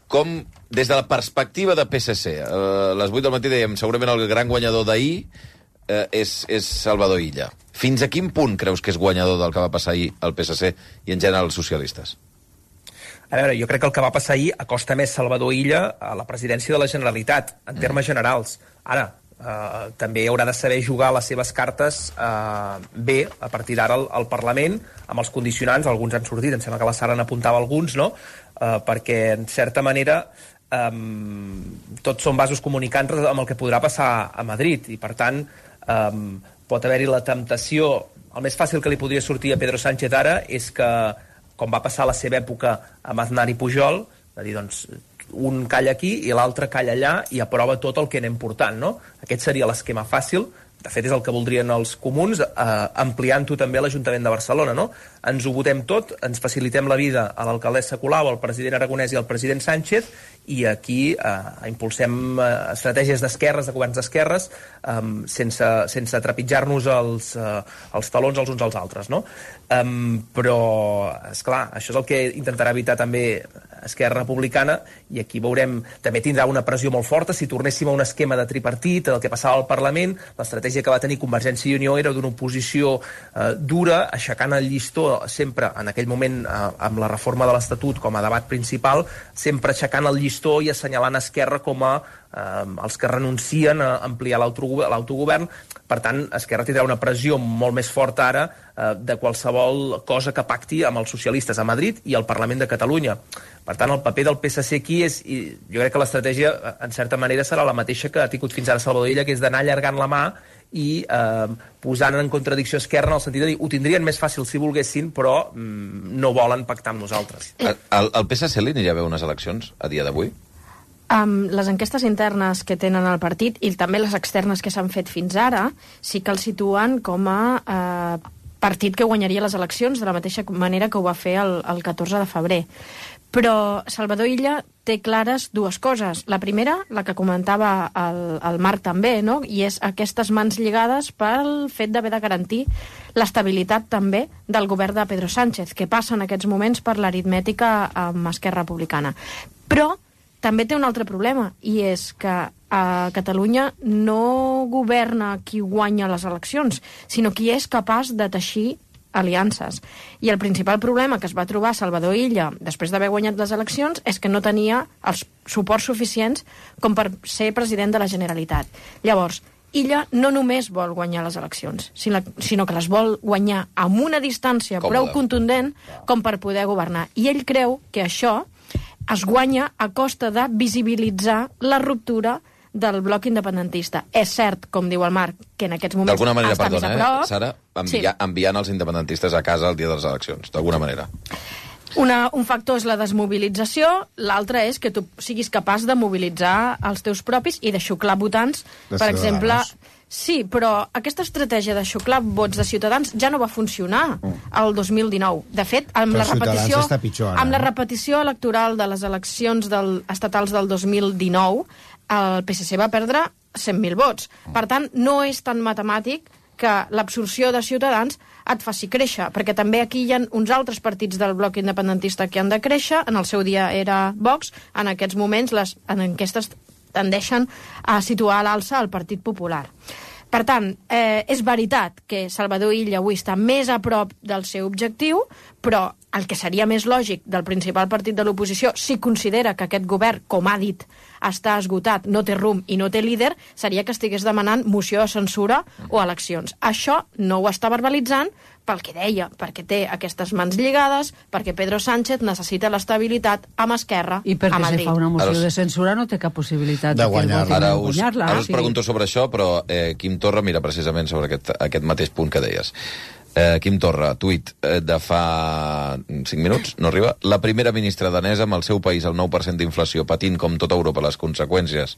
com, des de la perspectiva de PSC, a les 8 del matí dèiem, segurament el gran guanyador d'ahir és Salvador Illa. Fins a quin punt creus que és guanyador del que va passar ahir al PSC i en general els socialistes? A veure, jo crec que el que va passar ahir acosta més Salvador Illa a la presidència de la Generalitat, en termes generals. Ara, també haurà de saber jugar les seves cartes bé a partir d'ara al Parlament, amb els condicionants. Alguns han sortit, em sembla que la Sara n'apuntava alguns, no? Perquè en certa manera tots són vasos comunicants amb el que podrà passar a Madrid, i per tant pot haver-hi la temptació. El més fàcil que li podria sortir a Pedro Sánchez ara és que, com va passar a la seva època amb Aznar i Pujol, de dir, doncs, un calla aquí i l'altre calla allà i aprova tot el que anem portant, no? Aquest seria l'esquema fàcil. De fet, és el que voldrien els comuns, ampliant-ho també a l'Ajuntament de Barcelona, no? Ens ho votem tot, ens facilitem la vida a l'alcaldessa Colau, al president Aragonès i al president Sánchez, i aquí impulsem estratègies d'esquerres, de governs d'esquerres, sense trepitjar-nos els talons els uns als altres, no? Però, esclar, això és el que intentarà evitar també Esquerra Republicana, i aquí veurem, també tindrà una pressió molt forta. Si tornéssim a un esquema de tripartit, el que passava al Parlament, l'estratègia que va tenir Convergència i Unió era d'una oposició dura, aixecant el llistó sempre, en aquell moment, amb la reforma de l'Estatut com a debat principal, sempre aixecant el llistó i assenyalant Esquerra com a els que renuncien a ampliar l'autogovern. Per tant, Esquerra tindrà una pressió molt més forta ara de qualsevol cosa que pacti amb els socialistes a Madrid i al Parlament de Catalunya. Per tant, el paper del PSC aquí és, i jo crec que l'estratègia, en certa manera, serà la mateixa que ha tingut fins ara Salvador Illa, que és d'anar allargant la mà i posant en contradicció Esquerra, en el sentit de dir, ho tindrien més fàcil si volguessin, però no volen pactar amb nosaltres. Al PSC li aniria bé unes eleccions a dia d'avui? Les enquestes internes que tenen al partit i també les externes que s'han fet fins ara sí que el situen com a partit que guanyaria les eleccions de la mateixa manera que ho va fer el 14 de febrer. Però Salvador Illa té clares dues coses. La primera, la que comentava el Marc també, no? I és aquestes mans lligades pel fet d'haver de garantir l'estabilitat també del govern de Pedro Sánchez, que passa en aquests moments per l'aritmètica amb Esquerra Republicana. Però també té un altre problema, i és que a Catalunya no governa qui guanya les eleccions, sinó qui és capaç de teixir aliances. I el principal problema que es va trobar Salvador Illa després d'haver guanyat les eleccions és que no tenia els suports suficients com per ser president de la Generalitat. Llavors, Illa no només vol guanyar les eleccions, sinó que les vol guanyar amb una distància prou contundent com per poder governar. I ell creu que això es guanya a costa de visibilitzar la ruptura del bloc independentista. És cert, com diu el Marc, que en aquests moments d'alguna manera, està més a prop. Sara, enviant els independentistes a casa el dia de les eleccions, d'alguna manera. Un factor és la desmobilització, l'altre és que tu siguis capaç de mobilitzar els teus propis i de xuclar votants, per exemple. Sí, però aquesta estratègia de xuclar vots de Ciutadans ja no va funcionar el 2019. De fet, amb la repetició electoral de les eleccions estatals del 2019, el PSC va perdre 100.000 vots. Per tant, no és tan matemàtic que l'absorció de Ciutadans et faci créixer, perquè també aquí hi ha uns altres partits del bloc independentista que han de créixer. En el seu dia era Vox, en aquests moments les enquestes tendeixen a situar a l'alça el Partit Popular. Per tant, és veritat que Salvador Illa avui està més a prop del seu objectiu, però el que seria més lògic del principal partit de l'oposició, si considera que aquest govern, com ha dit, està esgotat, no té rumb i no té líder, seria que estigués demanant moció de censura o eleccions. Això no ho està verbalitzant pel que deia, perquè té aquestes mans lligades, perquè Pedro Sánchez necessita l'estabilitat amb Esquerra a Madrid. I perquè si fa una moció de censura no té cap possibilitat de guanyar-la. Ara us pregunto sobre això, però Quim Torra mira precisament sobre aquest mateix punt que deies. Quim Torra, tuit de fa 5 minuts, no arriba. La primera ministra danesa, amb el seu país al 9% d'inflació, patint com tota Europa les conseqüències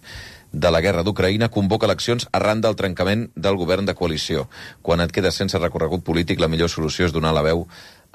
de la guerra d'Ucraïna, convoca eleccions arran del trencament del govern de coalició. Quan et quedes sense recorregut polític, la millor solució és donar la veu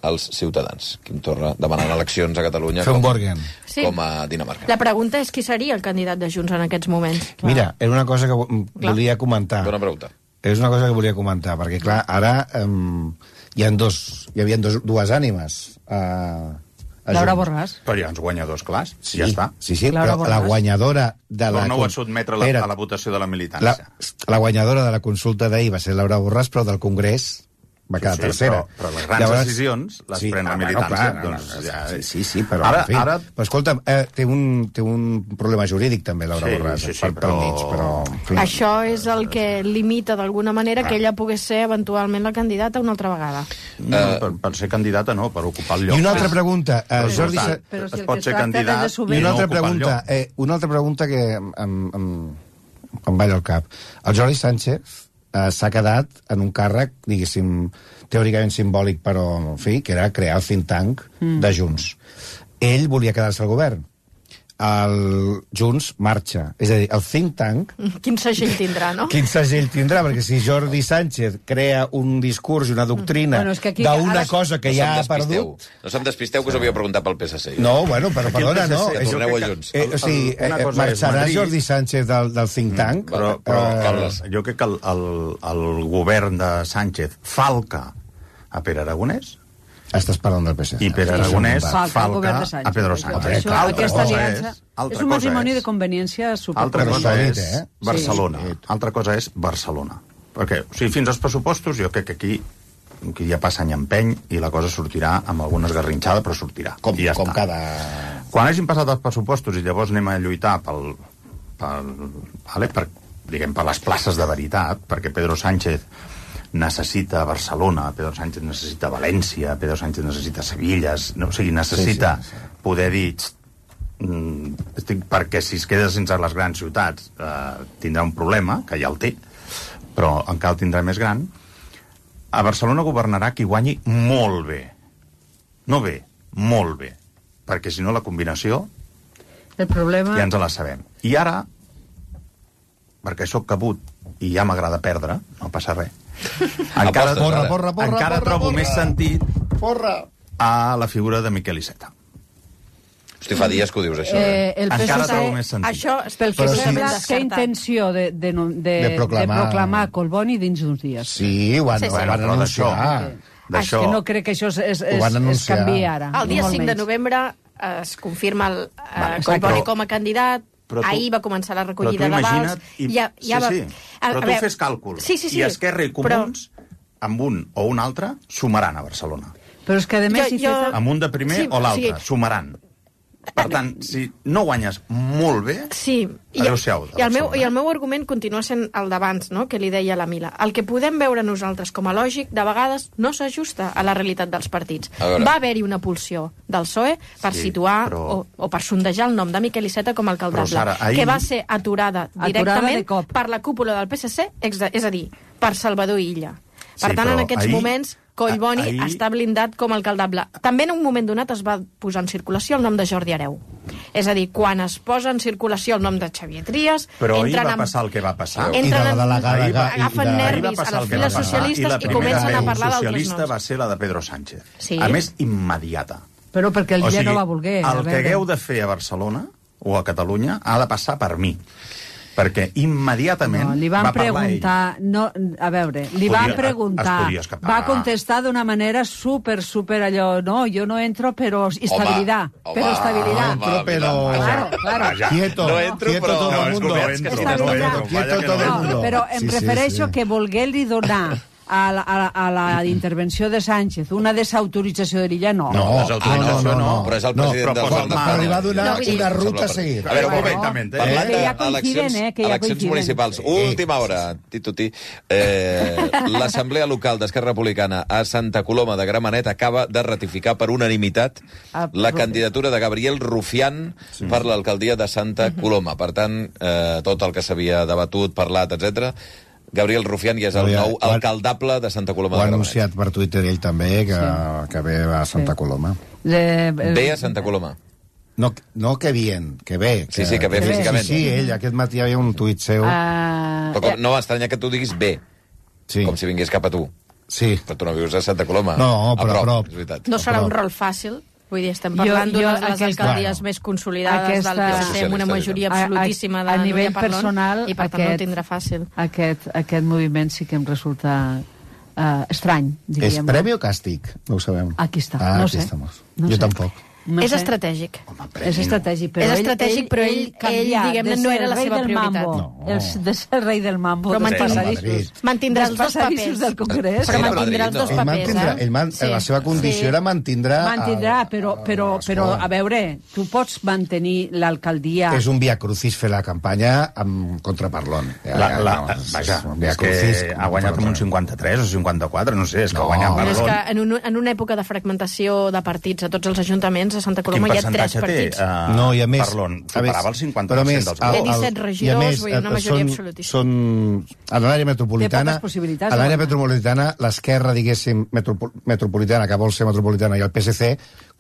als ciutadans. Quim Torra demanant eleccions a Catalunya com a Dinamarca. La pregunta és qui seria el candidat de Junts en aquests moments. Mira, era una cosa que volia comentar. Bona pregunta. És una cosa que volia comentar, perquè, clar, ara hi havia dues ànimes. Laura Borràs. Però hi ha uns guanyadors clars, ja està. Sí, però la guanyadora de la... Però no ho va sotmetre a la votació de la militància. La guanyadora de la consulta d'ahir va ser Laura Borràs, però del Congrés va quedar tercera. Però les grans decisions les pren la militància. Sí, però... Ara... Però escolta, té un problema jurídic també, Laura Borràs, pel mig, però... Això és el que limita d'alguna manera que ella pogués ser eventualment la candidata una altra vegada. Per ser candidata no, per ocupar el lloc. I una altra pregunta, Jordi... Però si es pot ser candidat i no ocupar el lloc. Una altra pregunta que em balla al cap. El Jordi Sánchez s'ha quedat en un càrrec, diguéssim, teòricament simbòlic, però, en fi, que era crear el think tank de Junts. Ell volia quedar-se al govern. El Junts marxa. És a dir, el think tank... Quin segell tindrà, no? Quin segell tindrà, perquè si Jordi Sánchez crea un discurs i una doctrina d'una cosa que ja ha perdut... No se'm despisteu, que us havia preguntat pel PSC. No, bueno, però perdona, no. Torneu a Junts. O sigui, marxarà Jordi Sánchez del think tank? Però jo crec que el govern de Sánchez falca a Pere Aragonès. Estàs parlant del PSC. I Pere Aragonès falca a Pedro Sánchez. Aquesta aliança és un matrimoni de conveniència superpotent. Altra cosa és Barcelona. Altra cosa és Barcelona. Perquè, o sigui, fins als pressupostos, jo crec que aquí ja passa any empeny i la cosa sortirà amb alguna esgarrinxada, però sortirà. Com cada... Quan hagin passat els pressupostos i llavors anem a lluitar per les places de veritat, perquè Pedro Sánchez necessita Barcelona, Pedro Sánchez necessita València, Pedro Sánchez necessita Sevilla, o sigui, necessita poder dir perquè si es queda sense les grans ciutats tindrà un problema, que ja el té, però encara el tindrà més gran. A Barcelona governarà qui guanyi molt bé. No bé, molt bé. Perquè si no la combinació el problema... ja ens la sabem. I ara, perquè sóc cabut i ja m'agrada perdre, no passa res, encara trobo més sentit a la figura de Miquel Iceta. Hosti, fa dies que ho dius, això. Encara trobo més sentit. Això, pel que sembla, té intenció de proclamar Collboni dins d'uns dies. Sí, ho van anunciar. És que no crec que això es canviï ara. El dia 5 de novembre es confirma el Collboni com a candidat. Ahir va començar la recollida de vals. Però tu fes càlcul. I Esquerra i Comuns, amb un o un altre, sumaran a Barcelona. Però és que, a més... Amb un de primer o l'altre, sumaran. Per tant, si no guanyes molt bé, adeu-siau. I el meu argument continua sent el d'abans, no?, que li deia la Mila. El que podem veure nosaltres com a lògic, de vegades, no s'ajusta a la realitat dels partits. Va haver-hi una pulsió del PSOE per situar o per sondejar el nom de Miquel Iceta com a alcaldable, que va ser aturada directament per la cúpula del PSC, és a dir, per Salvador Illa. Per tant, en aquests moments... Collboni està blindat com a alcaldable. També en un moment donat es va posar en circulació el nom de Jordi Hereu. És a dir, quan es posa en circulació el nom de Xavier Trias... Però ahir va passar el que va passar. Agafen nervis a les files socialistes i comencen a parlar d'altres noms. La socialista va ser la de Pedro Sánchez. A més, immediata. Però perquè el Illa no va voler. El que hagueu de fer a Barcelona o a Catalunya ha de passar per mi. Perquè immediatament li van preguntar, va contestar d'una manera super allò, no, jo no entro, però estabilitat. Quieto todo el mundo. Però em refereixo que volguer-li donar a la intervenció de Sánchez una desautorització de l'Illa, no. No, però és el president del govern. Però li va donar una ruta a seguir. A veure, un moment, parlant d'eleccions municipals. Última hora, Tituti. L'Assemblea Local d'Esquerra Republicana a Santa Coloma de Gramenet acaba de ratificar per unanimitat la candidatura de Gabriel Rufián per l'alcaldia de Santa Coloma. Per tant, tot el que s'havia debatut, parlat, etc., Gabriel Rufián ja és el nou alcaldable de Santa Coloma de Gramenet. Ho ha anunciat per Twitter ell també, que ve a Santa Coloma. Ve a Santa Coloma. No que bien, que ve. Sí, que ve físicament. Sí, ell, aquest matí hi havia un tuit seu. No m'estranya que tu diguis ve, com si vingués cap a tu. Sí. Però tu no vius a Santa Coloma. No, però a prop. No serà un rol fàcil. Vull dir, estem parlant d'una de les alcaldies més consolidades del PSC, amb una majoria absolutíssima de nivell personal, i per tant no ho tindrà fàcil. Aquest moviment sí que em resulta estrany, diríem. És premi o càstig? No ho sabem. Aquí està, no sé. Jo tampoc. És estratègic. És estratègic, però ell diguem-ne, no era la seva prioritat. De ser rei del mambo. Però mantindrà els dos papers del Congrés. Però mantindrà els dos papers. La seva condició era mantindrà, però, a veure, tu pots mantenir l'alcaldia... És un via crucis fer la campanya contra Parlon. Vaja, és que ha guanyat amb un 53 o 54, no sé, és que ha guanyat Parlon. És que en una època de fragmentació de partits a tots els ajuntaments, a Santa Coloma hi ha 3 partits. No, i a més... Parlon superava el 50% dels vots. Té 17 regidors, vull dir, una majoria absolutista. A l'àrea metropolitana... A l'àrea metropolitana, l'esquerra, diguéssim, metropolitana, que vol ser metropolitana, i el PSC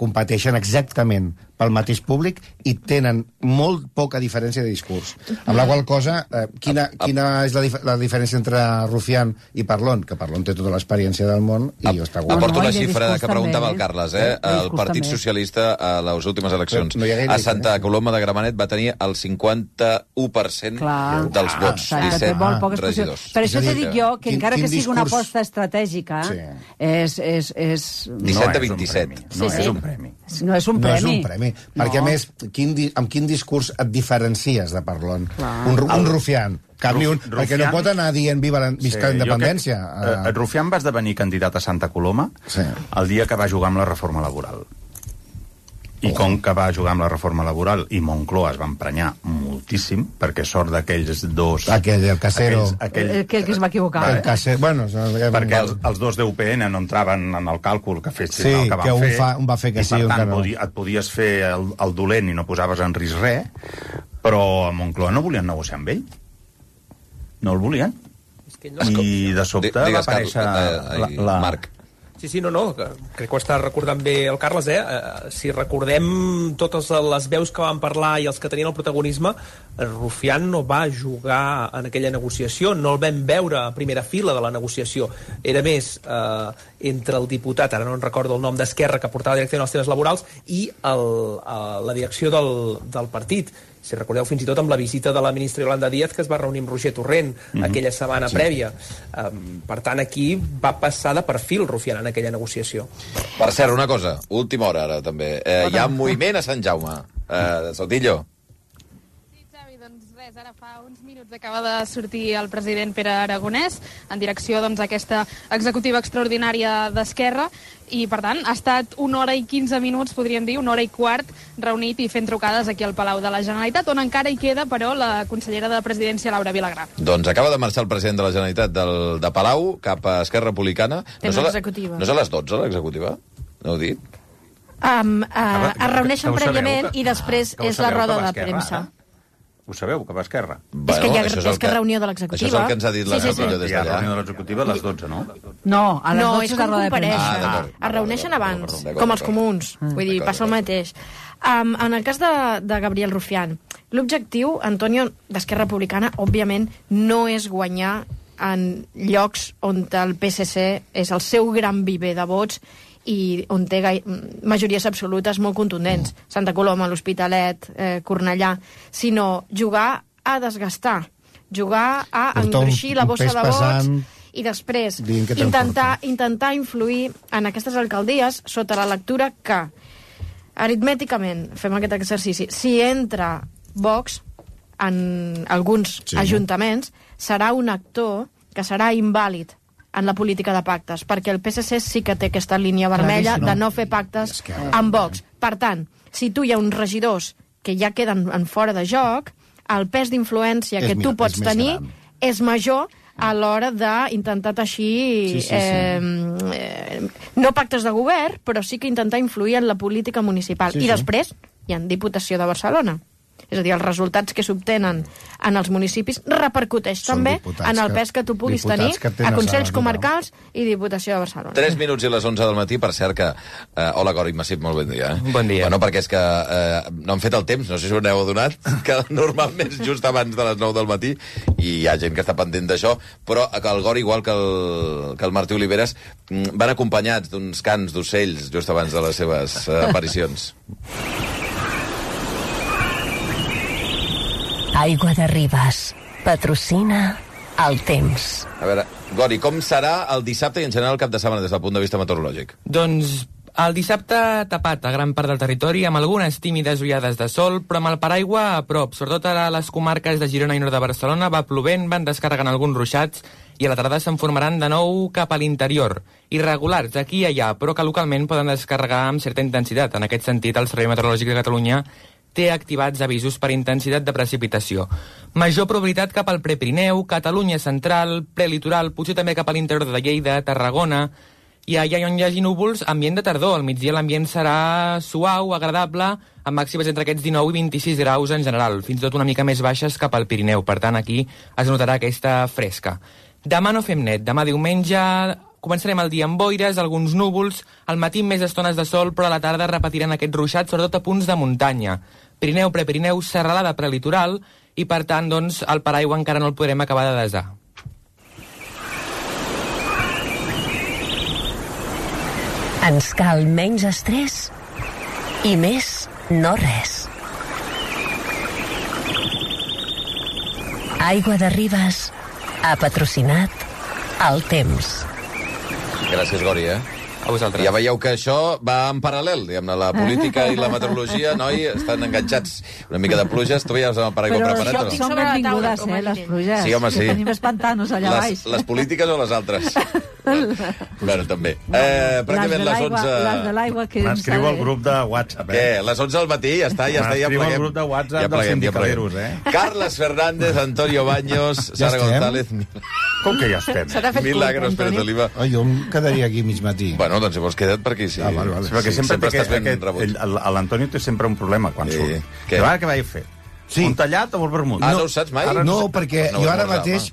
competeixen exactament pel mateix públic i tenen molt poca diferència de discurs. Amb la qual cosa, quina és la diferència entre Rufián i Parlon? Que Parlon té tota l'experiència del món i jo està guai. Aporto una xifra que preguntava el Carles. El Partit Socialista a les últimes eleccions a Santa Coloma de Gramenet va tenir el 51% dels vots. 17 regidors. Per això te dic jo que encara que sigui una aposta estratègica, és... 17 a 27. No és un premi. No és un premi. No és un premi. Perquè, a més, amb quin discurs et diferencies de Parlon? Un Rufián. Cap ni un, perquè no pot anar dient visca la independència. Rufián va esdevenir candidat a Santa Coloma el dia que va jugar amb la reforma laboral. I com que va jugar amb la reforma laboral i Moncloa es va emprenyar moltíssim, perquè sort d'aquells dos... El Casero. Aquell que es va equivocar. Perquè els dos d'UPN no entraven en el càlcul que fessin el que van fer. Un va fer que sí, i per tant et podies fer el dolent i no posaves en risc res, però a Moncloa no volien negociar amb ell. No el volien. I de sobte va aparèixer Marc. Sí, no, crec que ho està recordant bé el Carles, si recordem totes les veus que van parlar i els que tenien el protagonisme, Rufián no va jugar en aquella negociació, no el vam veure a primera fila de la negociació. Era més entre el diputat, ara no en recordo el nom, d'Esquerra, que portava la direcció de les temes laborals, i la direcció del partit. Si recordeu, fins i tot amb la visita de la ministra Yolanda Díaz, que es va reunir amb Roger Torrent aquella setmana prèvia. Per tant, aquí va passar de perfil Rufián en aquella negociació. Per cert, una cosa, última hora ara també. Hi ha moviment a Sant Jaume. Sotillo. Ara fa uns minuts acaba de sortir el president Pere Aragonès en direcció a aquesta executiva extraordinària d'Esquerra i, per tant, ha estat 1 hora i 15 minuts, podríem dir, 1 hora i quart, reunit i fent trucades aquí al Palau de la Generalitat, on encara hi queda, però, la consellera de Presidència, Laura Vilagrà. Doncs acaba de marxar el president de la Generalitat de Palau cap a Esquerra Republicana. No és a les 12, l'executiva? No ho dic? Es reuneixen prèviament i després és la roda de premsa. Ho sabeu, que va a Esquerra? És que reunió de l'executiva. Això és el que ens ha dit la Capella des d'allà. Reunió de l'executiva a les 12, no? No, a les 12 és com compareixen. Es reuneixen abans, com els comuns. Vull dir, passa el mateix. En el cas de Gabriel Rufián, l'objectiu, Antonio, d'Esquerra Republicana, òbviament, no és guanyar en llocs on el PSC és el seu gran viver de vots i on té majories absolutes molt contundents, Santa Coloma, l'Hospitalet, Cornellà, sinó jugar a desgastar, jugar a engruixir la bossa de vots i després intentar influir en aquestes alcaldies sota la lectura que, aritmèticament, fem aquest exercici, si entra Vox en alguns ajuntaments, serà un actor que serà invàlid en la política de pactes, perquè el PSC sí que té aquesta línia vermella de no fer pactes amb Vox. Per tant, si tu hi ha uns regidors que ja queden en fora de joc, el pes d'influència que tu pots tenir és major a l'hora d'intentar teixir no pactes de govern, però sí que intentar influir en la política municipal. I després hi ha Diputació de Barcelona. És a dir, els resultats que s'obtenen en els municipis repercuteix també en el pes que tu puguis tenir a Consells Comarcals i Diputació de Barcelona. 3 minuts i les 11 del matí, per cert que... Hola, Gori Massip, molt bon dia. Bon dia. Bueno, perquè és que no han fet el temps, no sé si ho n'heu adonat, que normalment és just abans de les 9 del matí i hi ha gent que està pendent d'això, però el Gori, igual que el Martí Oliveres, van acompanyats d'uns cants d'ocells just abans de les seves aparicions. Aigua de Ribes. Patrocina el temps. A veure, Gori, com serà el dissabte i en general el cap de setmana des del punt de vista meteorològic? Doncs El dissabte tapat a gran part del territori amb algunes tímides ullades de sol, però amb el paraigua a prop. Sobretot a les comarques de Girona i nord de Barcelona va plovent, van descarregant alguns ruixats i a la tarda se'n formaran de nou cap a l'interior. Irregulars aquí i allà, però que localment poden descarregar amb certa intensitat. En aquest sentit, el Servei Meteorològic de Catalunya té activats avisos per intensitat de precipitació. Major probabilitat cap al Prepirineu, Catalunya central, prelitoral, potser també cap a l'interior de Lleida, Tarragona, i allà on hi hagi núvols, ambient de tardor. Al migdia l'ambient serà suau, agradable, amb màximes entre aquests 19 i 26 graus en general, fins i tot una mica més baixes cap al Pirineu. Per tant, aquí es notarà aquesta fresca. Demà no fem net. Demà diumenge començarem el dia amb boires, alguns núvols, al matí més estones de sol, però a la tarda repetiran aquests ruixats, sobretot a punts de muntanya. Pirineu, Prepirineu, serralada prelitoral, i per tant, doncs, el paraigua encara no el podrem acabar de desar. Ens cal menys estrès i més no res. Aigua de Ribes ha patrocinat el temps. Gràcies, Gori, A vosaltres. Ja veieu que això va en paral·lel, diguem-ne, la política i la meteorologia, noi, estan enganxats. Una mica de pluges, tu veies el paraigua preparat o no? Són benvingudes, les pluges. Sí, home, sí. Que tenim els pantanos allà baix. Les polítiques o les altres? Bueno, també. Pràcticament les 11... Les de l'aigua que... M'escriu al grup de WhatsApp, Què? Les 11 al matí? Ja està, ja pleguem. M'escriu al grup de WhatsApp dels sindicaderos, Carles Fernández, Antonio Baños, Sara González... Com que ja estem? Milagros Pérez Oliva. Jo em quedaria aquí mig matí. Bueno, doncs llavors queda't per aquí, sí. Vale. Perquè sempre estàs ben rebut. L'Antonio té sempre un problema quan surt. Què vaig fer? Un tallat o el vermut? No ho saps mai? No, perquè jo ara mateix